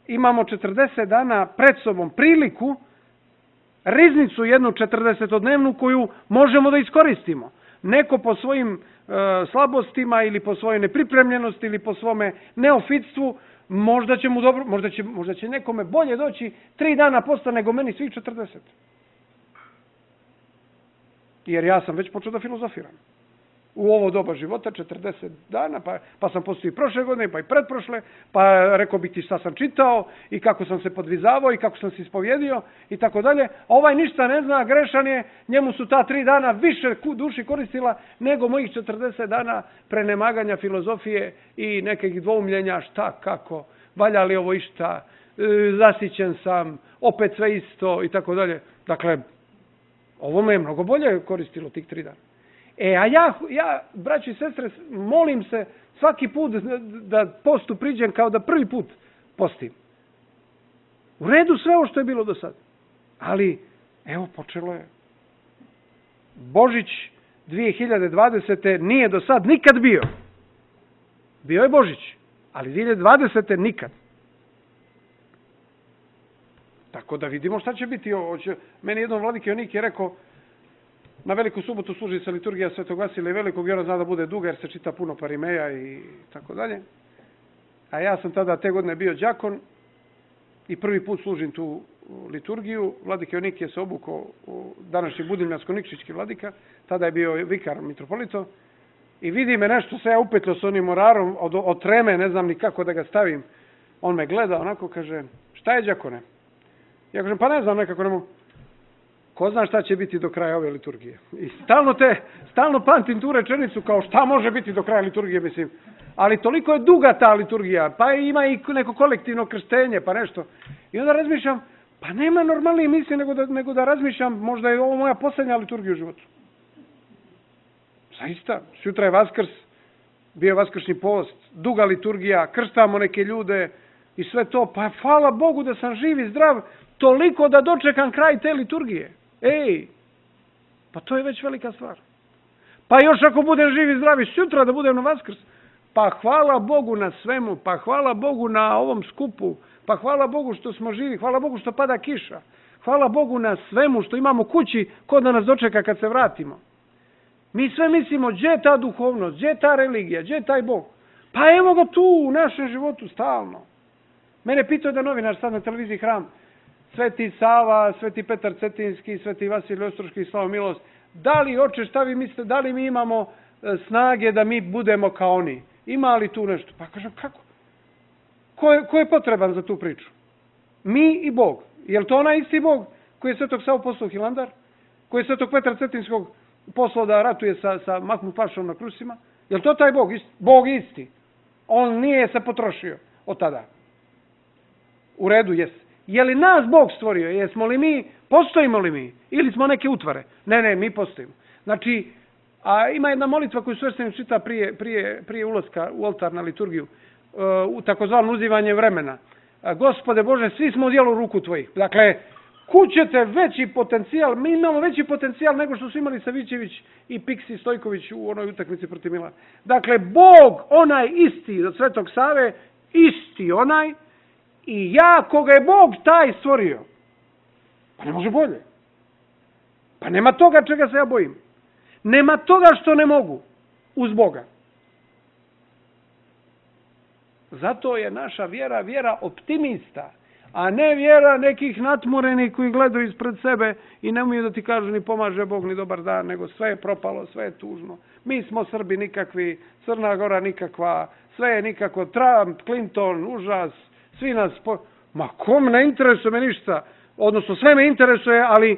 Imamo četrdeset dana pred sobom priliku, riznicu jednu četrdesetodnevnu koju možemo da iskoristimo. Neko po svojim e, slabostima ili po svojoj nepripremljenosti ili po svome neofitstvu, možda će mu dobro, možda će, možda će nekome bolje doći tri dana posta nego meni svih četrdeset. Jer ja sam već počeo da filozofiram. U ovo doba života, četrdeset dana, pa, pa sam postao i prošle godine, pa i pretprošle, pa rekao bih ti šta sam čitao i kako sam se podvizavao i kako sam se ispovjedio i tako dalje. Ovaj ništa ne zna, grešan je, njemu su ta tri dana više duši koristila nego mojih četrdeset dana prenemaganja filozofije i nekih dvoumljenja šta, kako, valja li ovo išta, zasićen sam, opet sve isto i tako dalje. Dakle, ovo me je mnogo bolje koristilo tih tri dana. E, a ja, ja, braći i sestre, molim se svaki put da postu priđem kao da prvi put postim. U redu sve ovo što je bilo do sad. Ali, evo, počelo je. Božić dvije hiljade dvadesete. nije do sad nikad bio. Bio je Božić, ali dvije hiljade dvadesete. nikad. Tako da vidimo šta će biti. Meni jednom vladike Jonik je rekao, na Veliku subotu služi se liturgija Svetog Vasilija Velikog i ona zna da bude duga jer se čita puno parimeja i tako dalje. A ja sam tada te godine bio đakon i prvi put služim tu liturgiju. Vladike Jonik je se obukao u današnji Budimljansko-Nikšićki vladika, tada je bio vikar mitropolito i vidi me nešto se ja upetlo s onim orarom od, od treme, ne znam ni kako da ga stavim. On me gleda onako, kaže, šta je đakone? Ja kažem, pa ne znam, nekako ne mogu. Ko zna šta će biti do kraja ove liturgije. I stalno te, stalno pamtim tu rečenicu kao šta može biti do kraja liturgije, mislim. Ali toliko je duga ta liturgija, pa ima i neko kolektivno krštenje, pa nešto. I onda razmišljam, pa nema normalnije misli nego da, nego da razmišljam, možda je ovo moja posljednja liturgija u životu. Zaista, sutra je Vaskrs, bio je vaskršnji post, duga liturgija, krstamo neke ljude i sve to, pa hvala Bogu da sam živ i zdrav, toliko da dočekam kraj te liturgije. Ej, pa to je već velika stvar. Pa još ako budem živ i zdrav i sutra da budem na Vaskrs, pa hvala Bogu na svemu, pa hvala Bogu na ovom skupu, pa hvala Bogu što smo živi, hvala Bogu što pada kiša, hvala Bogu na svemu što imamo kući, ko da nas dočeka kad se vratimo. Mi sve mislimo, gdje je ta duhovnost, gdje je ta religija, gdje je taj Bog? Pa evo ga tu u našem životu stalno. Mene pitao da novinar sad na televiziji Hram, Sveti Sava, Sveti Petar Cetinski, Sveti Vasilij Ostroški, Slavo Milost, da li, oče, šta vi mislite, da li mi imamo snage da mi budemo kao oni? Ima li tu nešto? Pa kažem, kako? Ko je, ko je potreban za tu priču? Mi i Bog. Je li to onaj isti Bog koji je Svetog Savu poslao u Hilandar? Koji je Svetog Petra Cetinskog poslao da ratuje sa, sa Mahmud Pašom na Krusima? Je li to taj Bog? Bog isti. On nije se potrošio od tada. U redu, jes. Je li nas Bog stvorio? Jesmo li mi, postojimo li mi? Ili smo neke utvare? Ne, ne, mi postojimo. Znači, a ima jedna molitva koju sveštenik čita prije, prije, prije ulaska u oltar na liturgiju, u takozvano uzivanje vremena. Gospode Bože, svi smo u dijelu ruku tvojih. Dakle, kućete veći potencijal, mi imamo veći potencijal nego što su imali Savićević i Piksi Stojković u onoj utakmici protiv Milana. Dakle, Bog, onaj isti od Svetog Save, isti onaj, i ja koga je Bog taj stvorio. Pa ne može bolje. Pa nema toga čega se ja bojim. Nema toga što ne mogu uz Boga. Zato je naša vjera vjera optimista, a ne vjera nekih natmurenih koji gledaju ispred sebe i ne umiju da ti kažu ni pomaže Bog ni dobar dan, nego sve je propalo, sve je tužno. Mi smo Srbi nikakvi, Crna Gora nikakva, sve je nikako, Trump, Clinton, užas, svi nas... Po... Ma kom ne interesuje me ništa, odnosno sve me interesuje, ali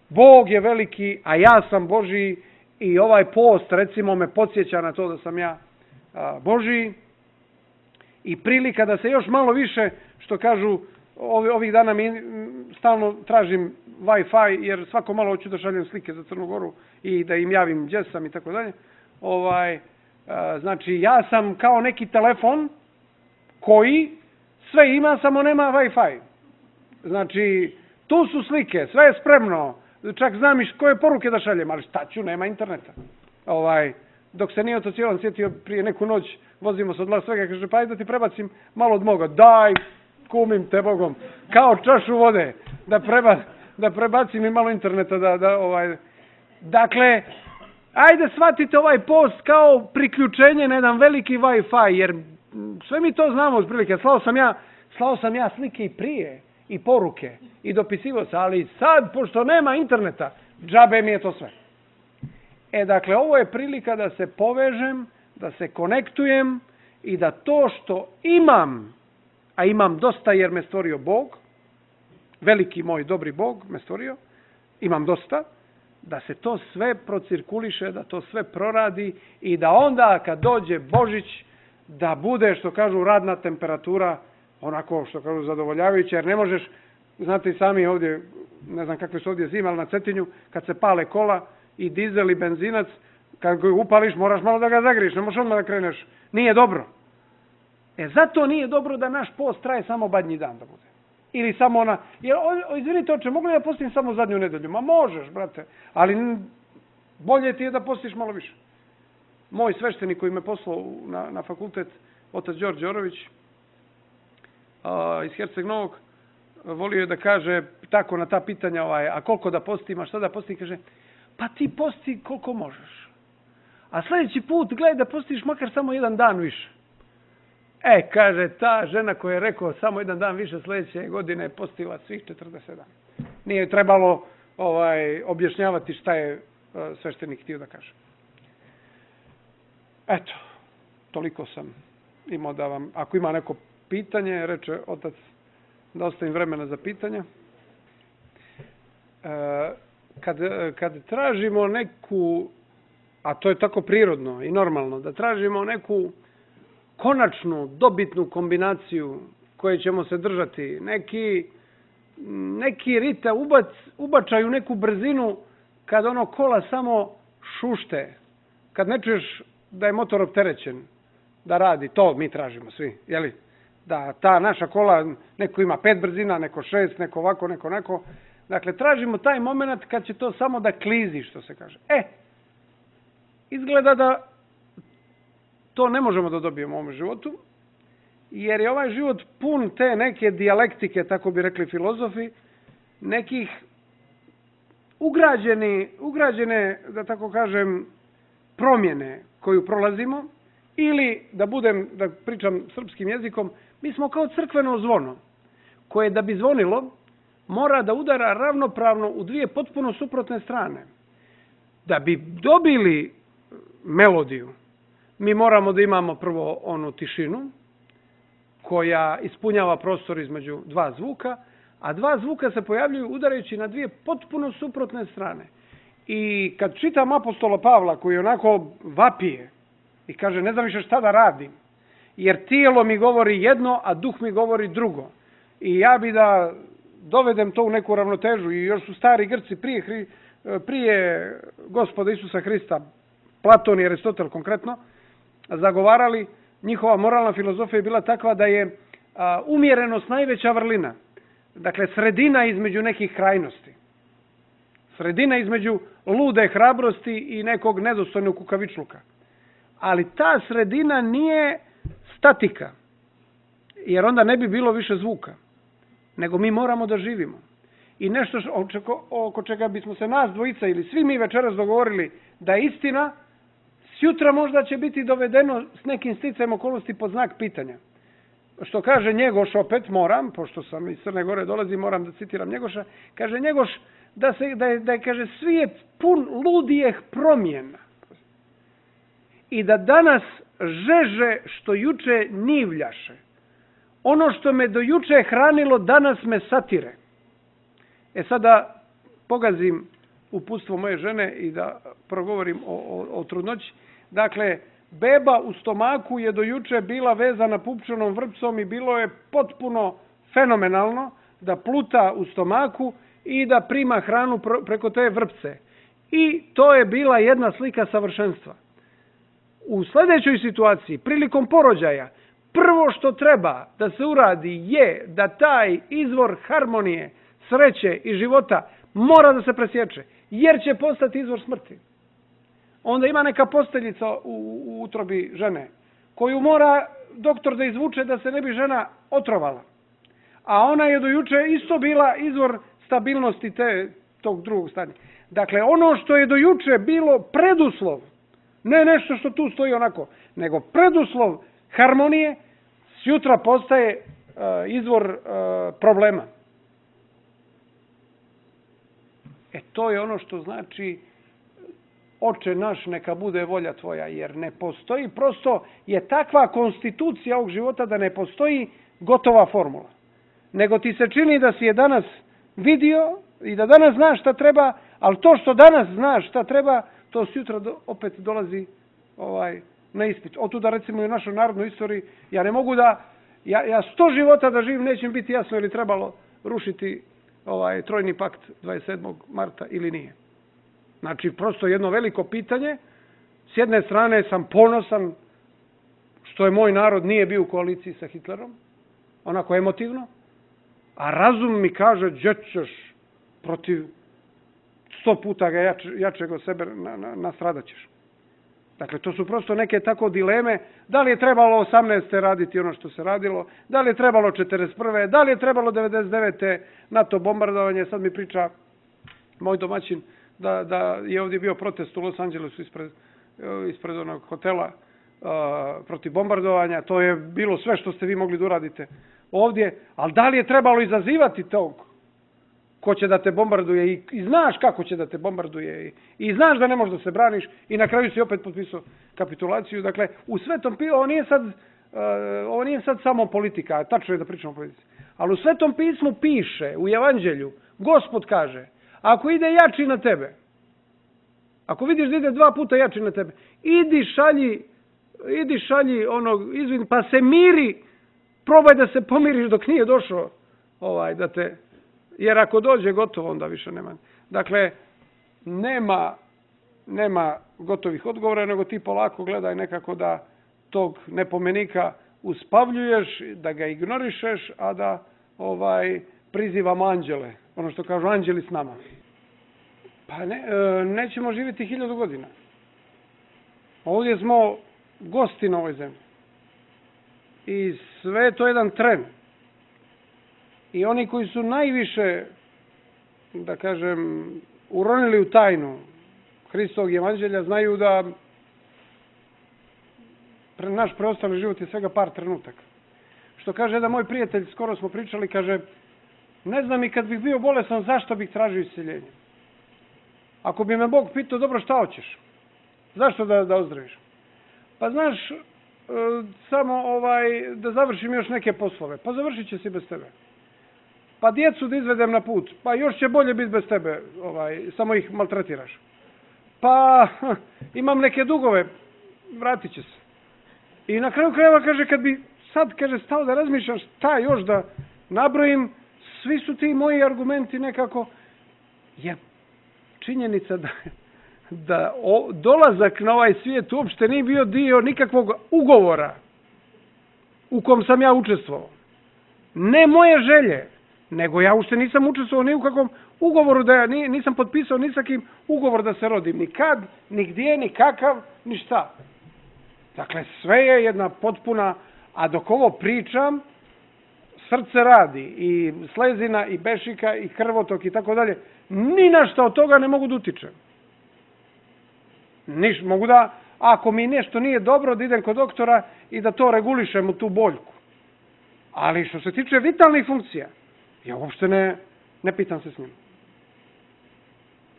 Bog je veliki, a ja sam Božiji i ovaj post, recimo, me podsjeća na to da sam ja a, Božiji i prilika da se još malo više, što kažu, ovi, ovih dana mi stalno tražim Wi-Fi, jer svako malo hoću da šaljem slike za Crnu Goru i da im javim gdje sam i tako dalje. Ovaj, a, znači, ja sam kao neki telefon koji sve ima, samo nema Wi-Fi. Znači, tu su slike, sve je spremno, čak znam i koje poruke da šaljem, ali šta ću, nema interneta. Ovaj, dok se nije otocijelan sjetio prije neku noć, vozimo se od Las Vega, kaže, pa ajde da ti prebacim malo od moga. Daj, kumim te Bogom, kao čašu vode, da, preba, da prebacim i malo interneta. Da, da, ovaj. Dakle, ajde shvatite ovaj post kao priključenje na jedan veliki Wi-Fi, jer sve mi to znamo uz prilike. Slao sam ja, slao sam ja slike i prije, i poruke, i dopisivo se, ali sad, pošto nema interneta, džabe mi je to sve. E, dakle, ovo je prilika da se povežem, da se konektujem i da to što imam, a imam dosta jer me stvorio Bog, veliki moj dobri Bog me stvorio, imam dosta, da se to sve procirkuliše, da to sve proradi i da onda kad dođe Božić, da bude, što kažu, radna temperatura, onako, što kažu, zadovoljavajuća, jer ne možeš, znate i sami ovdje, ne znam kakve su ovdje zime, ali na Cetinju, kad se pale kola i dizel i benzinac, kad ga upališ, moraš malo da ga zagriješ, ne možeš odmah da kreneš. Nije dobro. E, zato nije dobro da naš post traje samo badnji dan da bude. Ili samo ona, jer, o, izvinite oče, mogu li da postim samo zadnju nedelju? Ma možeš, brate, ali bolje ti je da postiš malo više. Moj sveštenik koji me poslao na, na fakultet, otac Đorđe Đorović, a, iz Herceg Novog, volio je da kaže tako na ta pitanja, ovaj, a koliko da postim, a šta da postim, kaže, pa ti posti koliko možeš. A sljedeći put gledaj da postiš makar samo jedan dan više. E, kaže, ta žena koja je rekao samo jedan dan više sljedeće godine je postila svih četrdeset dana. Nije trebalo ovaj, objašnjavati šta je uh, sveštenik htio da kaže. Eto, toliko sam imao da vam, ako ima neko pitanje, reče otac, da ostavim vremena za pitanja. E, kad, kad tražimo neku, a to je tako prirodno i normalno, da tražimo neku konačnu, dobitnu kombinaciju koje ćemo se držati, neki, neki rita ubac, ubačaju neku brzinu kad ono kola samo šušte, kad ne čuješ da je motor opterećen, da radi, to mi tražimo svi, jeli? Da ta naša kola, neko ima pet brzina, neko šest, neko ovako, neko onako. Dakle, tražimo taj moment kad će to samo da klizi, što se kaže. E, izgleda da to ne možemo da dobijemo u ovom životu, jer je ovaj život pun te neke dijalektike, tako bi rekli filozofi, nekih ugrađeni, ugrađene, da tako kažem, promjene koju prolazimo, ili, da budem, da pričam srpskim jezikom, mi smo kao crkveno zvono, koje da bi zvonilo, mora da udara ravnopravno u dvije potpuno suprotne strane. Da bi dobili melodiju, mi moramo da imamo prvo onu tišinu, koja ispunjava prostor između dva zvuka, a dva zvuka se pojavljuju udarajući na dvije potpuno suprotne strane. I kad čitam apostola Pavla, koji onako vapije i kaže, ne znam više šta da radim, jer tijelo mi govori jedno, a duh mi govori drugo. I ja bi da dovedem to u neku ravnotežu, i još su stari Grci prije, prije Gospoda Isusa Hrista, Platon i Aristotel konkretno, zagovarali, njihova moralna filozofija je bila takva da je a, umjerenost najveća vrlina. Dakle, sredina između nekih krajnosti. Sredina između lude hrabrosti i nekog nedostojnog kukavičluka. Ali ta sredina nije statika, jer onda ne bi bilo više zvuka, nego mi moramo da živimo. I nešto oko čega bismo se nas dvojica ili svi mi večeras dogovorili da je istina, sjutra možda će biti dovedeno s nekim sticajem okolnosti pod znak pitanja. Što kaže Njegoš, opet moram, pošto sam iz Crne Gore dolazi, moram da citiram Njegoša, kaže Njegoš da, se, da, je, da je, kaže, svijet pun ludijeh promjena. I da danas žeže što juče nivljaše. Ono što me do juče hranilo, danas me satire. E sada pogazim uputstvo moje žene i da progovorim o, o, o trudnoći. Dakle, beba u stomaku je do juče bila vezana pupčanom vrpcom i bilo je potpuno fenomenalno da pluta u stomaku i da prima hranu preko te vrpce. I to je bila jedna slika savršenstva. U sljedećoj situaciji, prilikom porođaja, prvo što treba da se uradi je da taj izvor harmonije, sreće i života mora da se presječe, jer će postati izvor smrti. Onda ima neka posteljica u, u utrobi žene, koju mora doktor da izvuče da se ne bi žena otrovala. A ona je do juče isto bila izvor stabilnosti te, tog drugog stanja. Dakle, ono što je do juče bilo preduslov, ne nešto što tu stoji onako, nego preduslov harmonije, sjutra postaje uh, izvor uh, problema. E to je ono što znači Oče naš, neka bude volja tvoja, jer ne postoji, prosto je takva konstitucija ovog života da ne postoji gotova formula. Nego ti se čini da si je danas vidio i da danas znaš šta treba, ali to što danas znaš šta treba, to sutra do, opet dolazi ovaj, na ispit. Otuda recimo i u našoj narodnoj istoriji, ja ne mogu da, ja, ja sto života da živim, neće mi biti jasno ili trebalo rušiti ovaj trojni pakt dvadeset sedmog marta ili nije. Znači, prosto jedno veliko pitanje. S jedne strane sam ponosan što je moj narod nije bio u koaliciji sa Hitlerom, onako emotivno, a razum mi kaže, gdje ćeš protiv sto puta ga jač, jačeg od sebe na, na, nastradat ćeš. Dakle, to su prosto neke tako dileme, da li je trebalo osamnaeste raditi ono što se radilo, da li je trebalo četrdeset prve, da li je trebalo devedeset devete NATO bombardovanje, sad mi priča moj domaćin, da, da je ovdje bio protest u Los Angelesu ispred, ispred onog hotela uh, protiv bombardovanja, to je bilo sve što ste vi mogli da uradite ovdje, ali da li je trebalo izazivati tog ko će da te bombarduje i, i znaš kako će da te bombarduje i, i znaš da ne možeš da se braniš i na kraju si opet potpisao kapitulaciju. Dakle, u svetom pismu, ovo nije sad, uh, ovo nije sad samo politika, tačno je da pričamo o politici, ali u Svetom pismu piše, u Evanđelju, Gospod kaže, ako ide jači na tebe, ako vidiš da ide dva puta jači na tebe, idi šalji, idi šalji onog, izvin, pa se miri probaj da se pomiriš dok nije došao, ovaj, da te, jer ako dođe gotovo, onda više nema. Dakle, nema, nema gotovih odgovora, nego ti polako gledaj nekako da tog nepomenika uspavljuješ, da ga ignorišeš, a da ovaj prizivamo anđele. Ono što kažu, anđeli s nama. Pa ne, e, nećemo živjeti hiljadu godina. Ovdje smo gosti na ovoj zemlji. I sve je to jedan tren. I oni koji su najviše, da kažem, uronili u tajnu Hristovog evanđelja, znaju da naš preostali život je svega par trenutaka. Što kaže jedan moj prijatelj, skoro smo pričali, kaže, ne znam i kad bih bio bolesan, zašto bih tražio isceljenje? Ako bi me Bog pitao, dobro, šta hoćeš? Zašto da, da ozdraviš? Pa znaš, e, samo ovaj, da završim još neke poslove. Pa završit će se bez tebe. Pa djecu da izvedem na put. Pa još će bolje biti bez tebe. Ovaj, samo ih maltretiraš. Pa imam neke dugove. Vratit će se. I na kraju krajeva kaže, kad bi sad kaže, stao da razmišljam šta još da nabrojim, svi su ti moji argumenti nekako, je činjenica da, da o, dolazak na ovaj svijet uopšte nije bio dio nikakvog ugovora u kom sam ja učestvovao. Ne moje želje, nego ja uopšte nisam učestvovao ni u kakvom ugovoru, da ja nisam potpisao ni sa kim ugovor da se rodim. Ni kad, ni gdje, ni kakav, ni šta. Dakle, sve je jedna potpuna, a dok ovo pričam, srce radi, i slezina, i bešika, i krvotok, i tako dalje. Ni na šta od toga ne mogu da utičem. Niš, mogu da, ako mi nešto nije dobro, da idem kod doktora i da to regulišem u tu boljku. Ali što se tiče vitalnih funkcija, ja uopšte ne, ne pitam se s njim.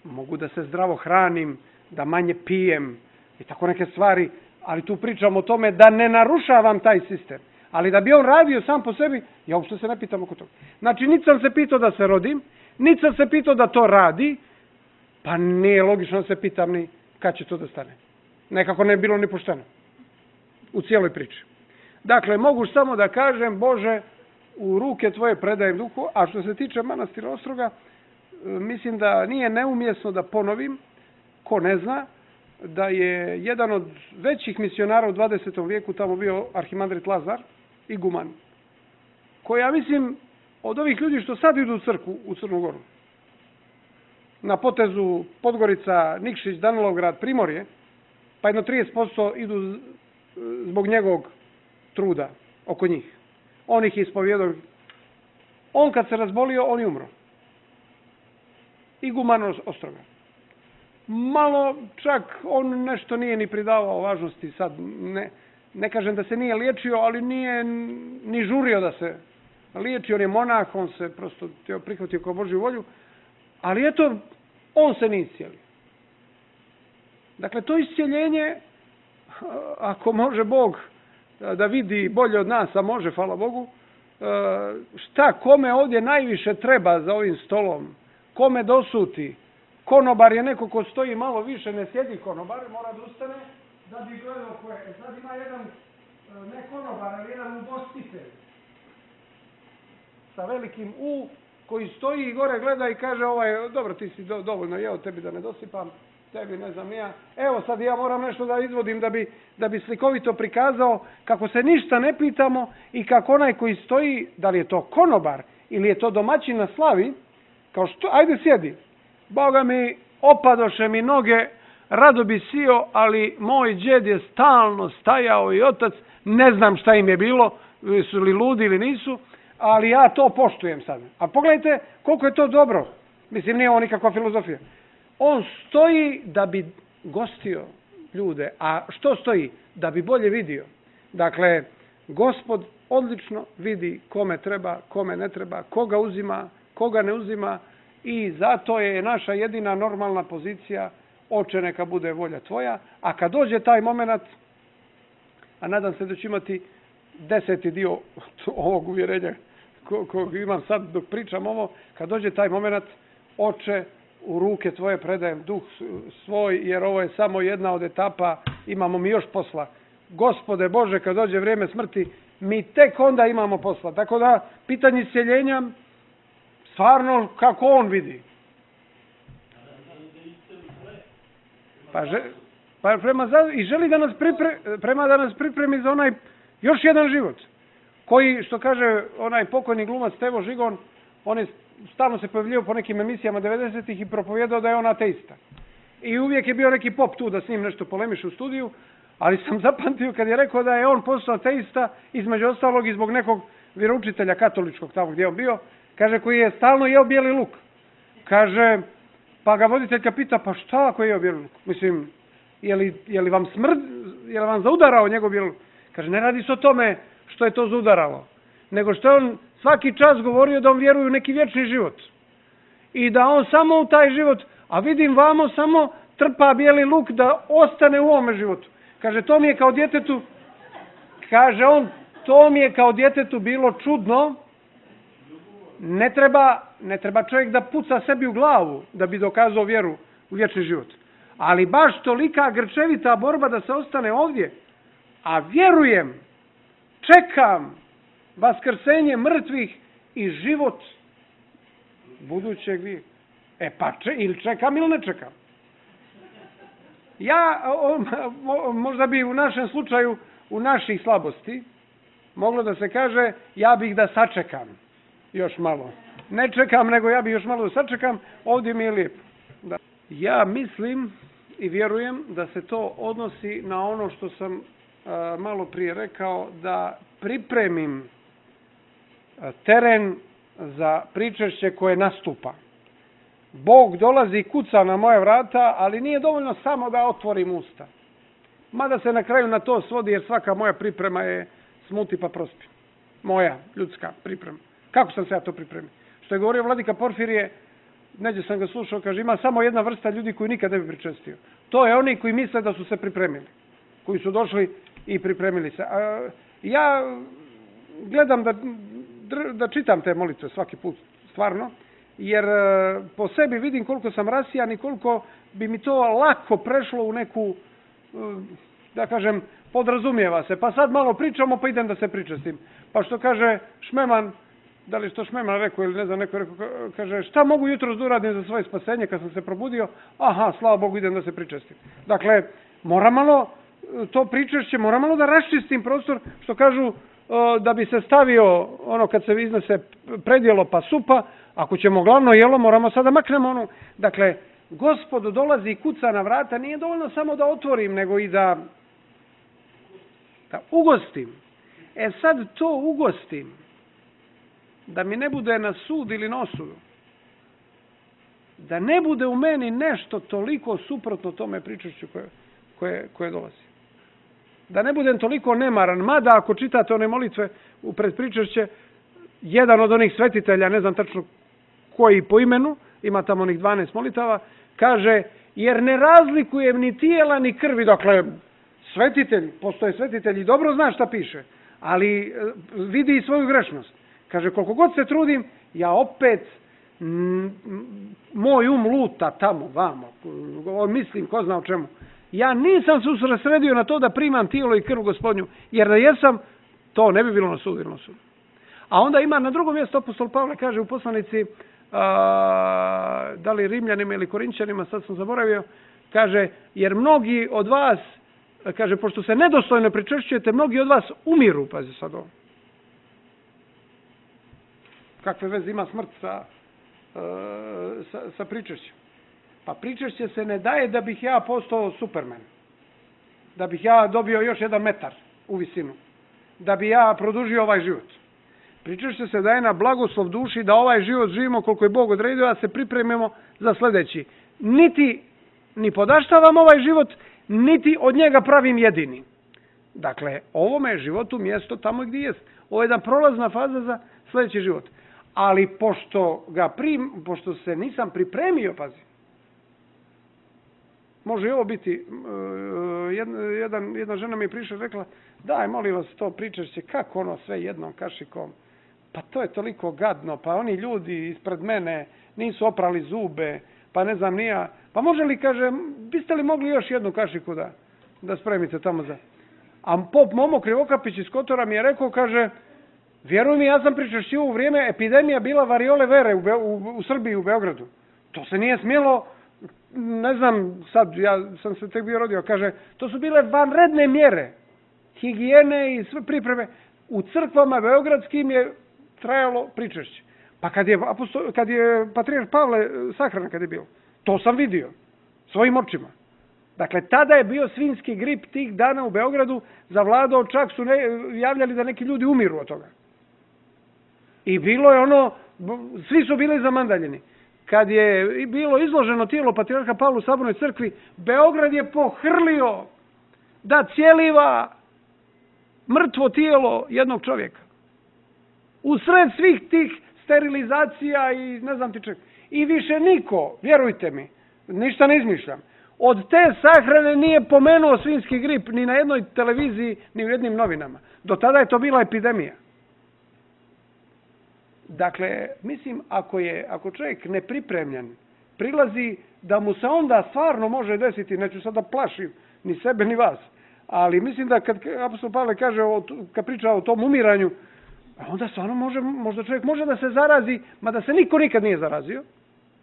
Mogu da se zdravo hranim, da manje pijem i tako neke stvari, ali tu pričam o tome da ne narušavam taj sistem. Ali da bi on radio sam po sebi, ja uopšte se ne pitam oko toga. Znači, niti sam se pitao da se rodim, niti sam se pitao da to radi, pa nije logično da se pitam ni kad će to da stane. Nekako ne je bilo ni pošteno u cijeloj priči. Dakle, mogu samo da kažem, Bože, u ruke tvoje predajem duhu, a što se tiče manastira Ostroga, mislim da nije neumjesno da ponovim, ko ne zna, da je jedan od većih misionara u dvadesetom vijeku tamo bio arhimandrit Lazar, iguman, koji, ja mislim, od ovih ljudi što sad idu u crkvu u Crnu Goru, na potezu Podgorica, Nikšić, Danilovgrad, Primorje, pa jedno trideset posto idu zbog njegovog truda oko njih. On ih je ispovjedao. On kad se razbolio, on je umro. Iguman Ostroga. Malo čak on nešto nije ni pridavao važnosti, sad ne, ne kažem da se nije liječio, ali nije ni žurio da se liječi. On je monah, on se prosto prihvatio kao Božju volju, ali eto, on se nije iscijelio. Dakle, to iscijeljenje, ako može Bog da vidi bolje od nas, a može, hvala Bogu, šta kome ovdje najviše treba za ovim stolom, kome dosuti. Konobar je neko ko stoji malo više, ne sjedi konobar, mora da ustane da bi gledao ko je. E sad ima jedan, ne konobar, ali jedan ugostitelj sa velikim U, koji stoji i gore gleda i kaže, ovaj, dobro, ti si do, dovoljno jeo, tebi da ne dosipam, tebi ne znam ja. Evo sad ja moram nešto da izvodim da bi, da bi slikovito prikazao kako se ništa ne pitamo i kako onaj koji stoji, da li je to konobar ili je to domaćin na slavi, kao što, ajde sjedi. Boga mi, opadoše mi noge, rado bi sio, ali moj džed je stalno stajao i otac, ne znam šta im je bilo, su li ludi ili nisu, ali ja to poštujem sad. A pogledajte koliko je to dobro. Mislim, nije ovo nikakva filozofija. On stoji da bi gostio ljude. A što stoji? Da bi bolje vidio. Dakle, Gospod odlično vidi kome treba, kome ne treba, koga uzima, koga ne uzima, i zato je naša jedina normalna pozicija, Oče, neka bude volja tvoja, a kad dođe taj moment, a nadam se da ću imati deseti dio ovog uvjerenja kog imam sad dok pričam ovo, kad dođe taj moment, Oče, u ruke tvoje predajem duh svoj, jer ovo je samo jedna od etapa, imamo mi još posla. Gospode Bože, kad dođe vrijeme smrti, mi tek onda imamo posla. Tako da, pitanje isceljenja, stvarno kako on vidi. Pa, že, pa prema, i želi da nas, pripre, prema da nas pripremi za onaj još jedan život. Koji, što kaže onaj pokojni glumac Stevo Žigon, on je stalno se pojavljivao po nekim emisijama devedesetih i propovijedao da je on ateista. I uvijek je bio neki pop tu da s njim nešto polemiše u studiju, ali sam zapamtio kad je rekao da je on postao ateista, između ostalog i zbog nekog vjeroučitelja katoličkog tamo gdje je on bio, kaže, koji je stalno jeo bijeli luk. Kaže, pa ga voditeljka pita, pa šta ako je jeo bijeli luk? Mislim, je li, je li vam smrd, je li vam zaudarao njegov bijeli luk? Kaže, ne radi se o tome što je to zaudaralo, nego što je on svaki čas govorio da on vjeruje u neki vječni život. I da on samo u taj život, a vidim vamo samo trpa bijeli luk da ostane u ovome životu. Kaže, to mi je kao djetetu, kaže on, to mi je kao djetetu bilo čudno. Ne treba, ne treba čovjek da puca sebi u glavu da bi dokazao vjeru u vječni život. Ali baš tolika grčevita borba da se ostane ovdje. A vjerujem, čekam vaskrsenje mrtvih i život budućeg vijeka. E pa, če, ili čekam ili ne čekam. Ja, o, možda bi u našem slučaju, u naših slabosti, moglo da se kaže, ja bih da sačekam još malo. Ne čekam, nego ja bih još malo da sačekam, ovdje mi je lijepo. Da. Ja mislim i vjerujem da se to odnosi na ono što sam a, malo prije rekao, da pripremim a, teren za pričešće koje nastupa. Bog dolazi i kuca na moje vrata, ali nije dovoljno samo da otvorim usta. Mada se na kraju na to svodi, jer svaka moja priprema je smuti pa prospi. Moja, ljudska priprema. Kako sam se ja to pripremio? Što je govorio vladika Porfirije, neđe sam ga slušao, kaže, ima samo jedna vrsta ljudi koji nikad ne bi pričestio. To je oni koji misle da su se pripremili. Koji su došli i pripremili se. A, ja gledam da, da čitam te molitve svaki put, stvarno, jer po sebi vidim koliko sam rasijan i koliko bi mi to lako prešlo u neku, da kažem, podrazumijeva se. Pa sad malo pričamo, pa idem da se pričestim. Pa što kaže Šmeman, da li što Šmeman rekao ili ne znam, neko rekao, kaže, šta mogu jutros da uradim za svoje spasenje kad sam se probudio? Aha, slava Bogu, idem da se pričestim. Dakle, mora malo to pričešće, mora malo da raščistim prostor, što kažu, da bi se stavio ono kad se iznese predjelo pa supa, ako ćemo glavno jelo, moramo sada maknemo ono. Dakle, Gospod dolazi i kuca na vrata, nije dovoljno samo da otvorim, nego i da, da ugostim. E sad to ugostim, da mi ne bude na sud ili na osudu. Da ne bude u meni nešto toliko suprotno tome pričešću koje, koje, koje dolazi. Da ne budem toliko nemaran, mada ako čitate one molitve u predpričešće, jedan od onih svetitelja, ne znam tačno koji po imenu, ima tamo onih dvanaest molitava, kaže, jer ne razlikujem ni tijela ni krvi. Dakle, svetitelj, postoje svetitelj i dobro zna šta piše, ali vidi i svoju grešnost. Kaže, koliko god se trudim, ja opet, m, moj um luta tamo, vamo, mislim, ko zna o čemu. Ja nisam se usredsredio na to da primam tijelo i krv Gospodnju, jer da jesam, to ne bi bilo na sudu ili na sudu. A onda ima na drugom mjestu apostol Pavle, kaže u poslanici, a, da li Rimljanima ili Korinćanima, sad sam zaboravio, kaže, jer mnogi od vas, kaže, pošto se nedostojno pričešćujete, mnogi od vas umiru, pazi sad ovo. Kakve veze ima smrt sa, sa, sa pričešćem? Pa pričešće se ne daje da bih ja postao Superman. Da bih ja dobio još jedan metar u visinu. Da bi ja produžio ovaj život. Pričešće se daje na blagoslov duši da ovaj život živimo koliko je Bog odredio, a se pripremimo za sljedeći. Niti ni podaštavam ovaj život, niti od njega pravim jedini. Dakle, ovome je životu mjesto tamo gdje jest. Ovo je jedna prolazna faza za sljedeći život. Ali pošto, ga prim, pošto se nisam pripremio, pazi, može i ovo biti, jedna, jedan, jedna žena mi je prišla i rekla, daj, molim vas, to pričešće, kako ono sve jednom kašikom, pa to je toliko gadno, pa oni ljudi ispred mene nisu oprali zube, pa ne znam nija, pa može li, kaže, biste li mogli još jednu kašiku da, da spremite tamo za... A pop Momo Krivokapić iz Kotora mi je rekao, kaže, vjeruj mi, ja sam pričešćivao u vrijeme epidemija bila variole vere u, u, u Srbiji, u Beogradu. To se nije smjelo, ne znam, sad, ja sam se tek bio rodio, kaže, to su bile vanredne mjere, higijene i sve pripreme. U crkvama beogradskim je trajalo pričešće. Pa kad je, apostol, kad je patrijarh Pavle sahran, kad je bio, to sam vidio svojim očima. Dakle, tada je bio svinjski grip tih dana u Beogradu zavladao, čak su ne, javljali da neki ljudi umiru od toga. I bilo je ono, svi su bili zamandaljeni. Kad je bilo izloženo tijelo patrijarha Pavla u Sabornoj crkvi, Beograd je pohrlio da cijeliva mrtvo tijelo jednog čovjeka. U sred svih tih sterilizacija i ne znam ti čega. I više niko, vjerujte mi, ništa ne izmišljam, od te sahrane nije pomenuo svinjski grip ni na jednoj televiziji, ni u jednim novinama. Do tada je to bila epidemija. Dakle, mislim, ako je, ako čovjek nepripremljen, prilazi da mu se onda stvarno može desiti, neću sad da plašim ni sebe ni vas, ali mislim da kad apostol Pavle kaže, o, kad priča o tom umiranju, onda stvarno može, možda čovjek može da se zarazi, mada se niko nikad nije zarazio,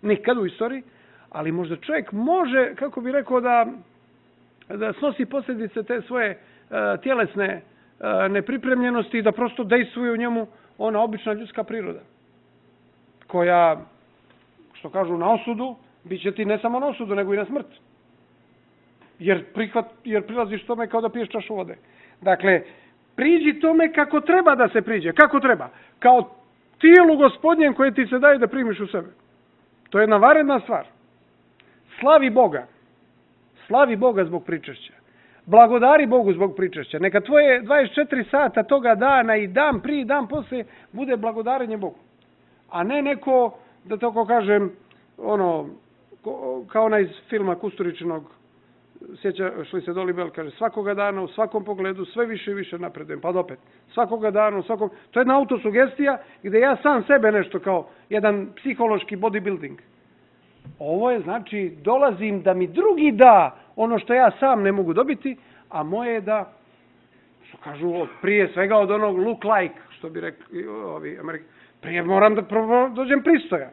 nikad u istoriji, ali možda čovjek može, kako bi rekao, da, da snosi posljedice te svoje uh, tjelesne uh, nepripremljenosti i da prosto dejstvuje u njemu ona obična ljudska priroda, koja, što kažu, na osudu, bit će ti ne samo na osudu, nego i na smrt. Jer, prihvat, jer prilaziš tome kao da piješ čašu vode. Dakle, priđi tome kako treba da se priđe. Kako treba? Kao tijelu Gospodnjem koje ti se daje da primiš u sebe. To je jedna varedna stvar. Slavi Boga. Slavi Boga zbog pričešća. Blagodari Bogu zbog pričešća. Neka tvoje dvadeset četiri sata toga dana i dan prije i dan poslije bude blagodarenje Bogu. A ne neko, da tako kažem, ono, kao onaj iz filma Kusturičinog, sjećaš li se Dolibel, kaže, svakoga dana, u svakom pogledu, sve više i više napredujem, pa opet, svakoga dana, u svakom... To je jedna autosugestija gdje ja sam sebe nešto kao jedan psihološki bodybuilding. Ovo je, znači, dolazim da mi drugi da ono što ja sam ne mogu dobiti, a moje je da, što kažu, prije svega od onog look like, što bi rekli ovi Amerika, prije moram da dođem pristojan.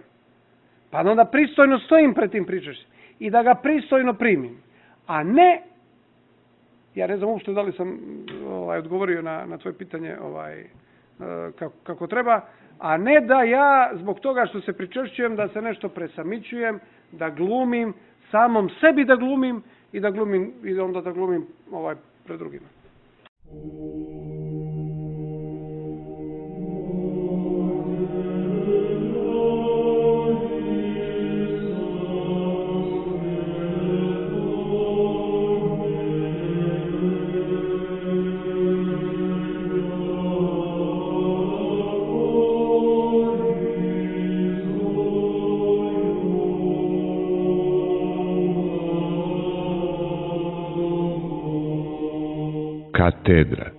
Pa onda pristojno stojim pred tim pričešćem i da ga pristojno primim. A ne, ja ne znam uopšte da li sam ovaj, odgovorio na, na tvoje pitanje ovaj, kako, kako treba, a ne da ja zbog toga što se pričešćujem da se nešto presamićujem, da glumim, samom sebi da glumim i da glumim i onda da glumim ovaj, pred drugima. Katedra.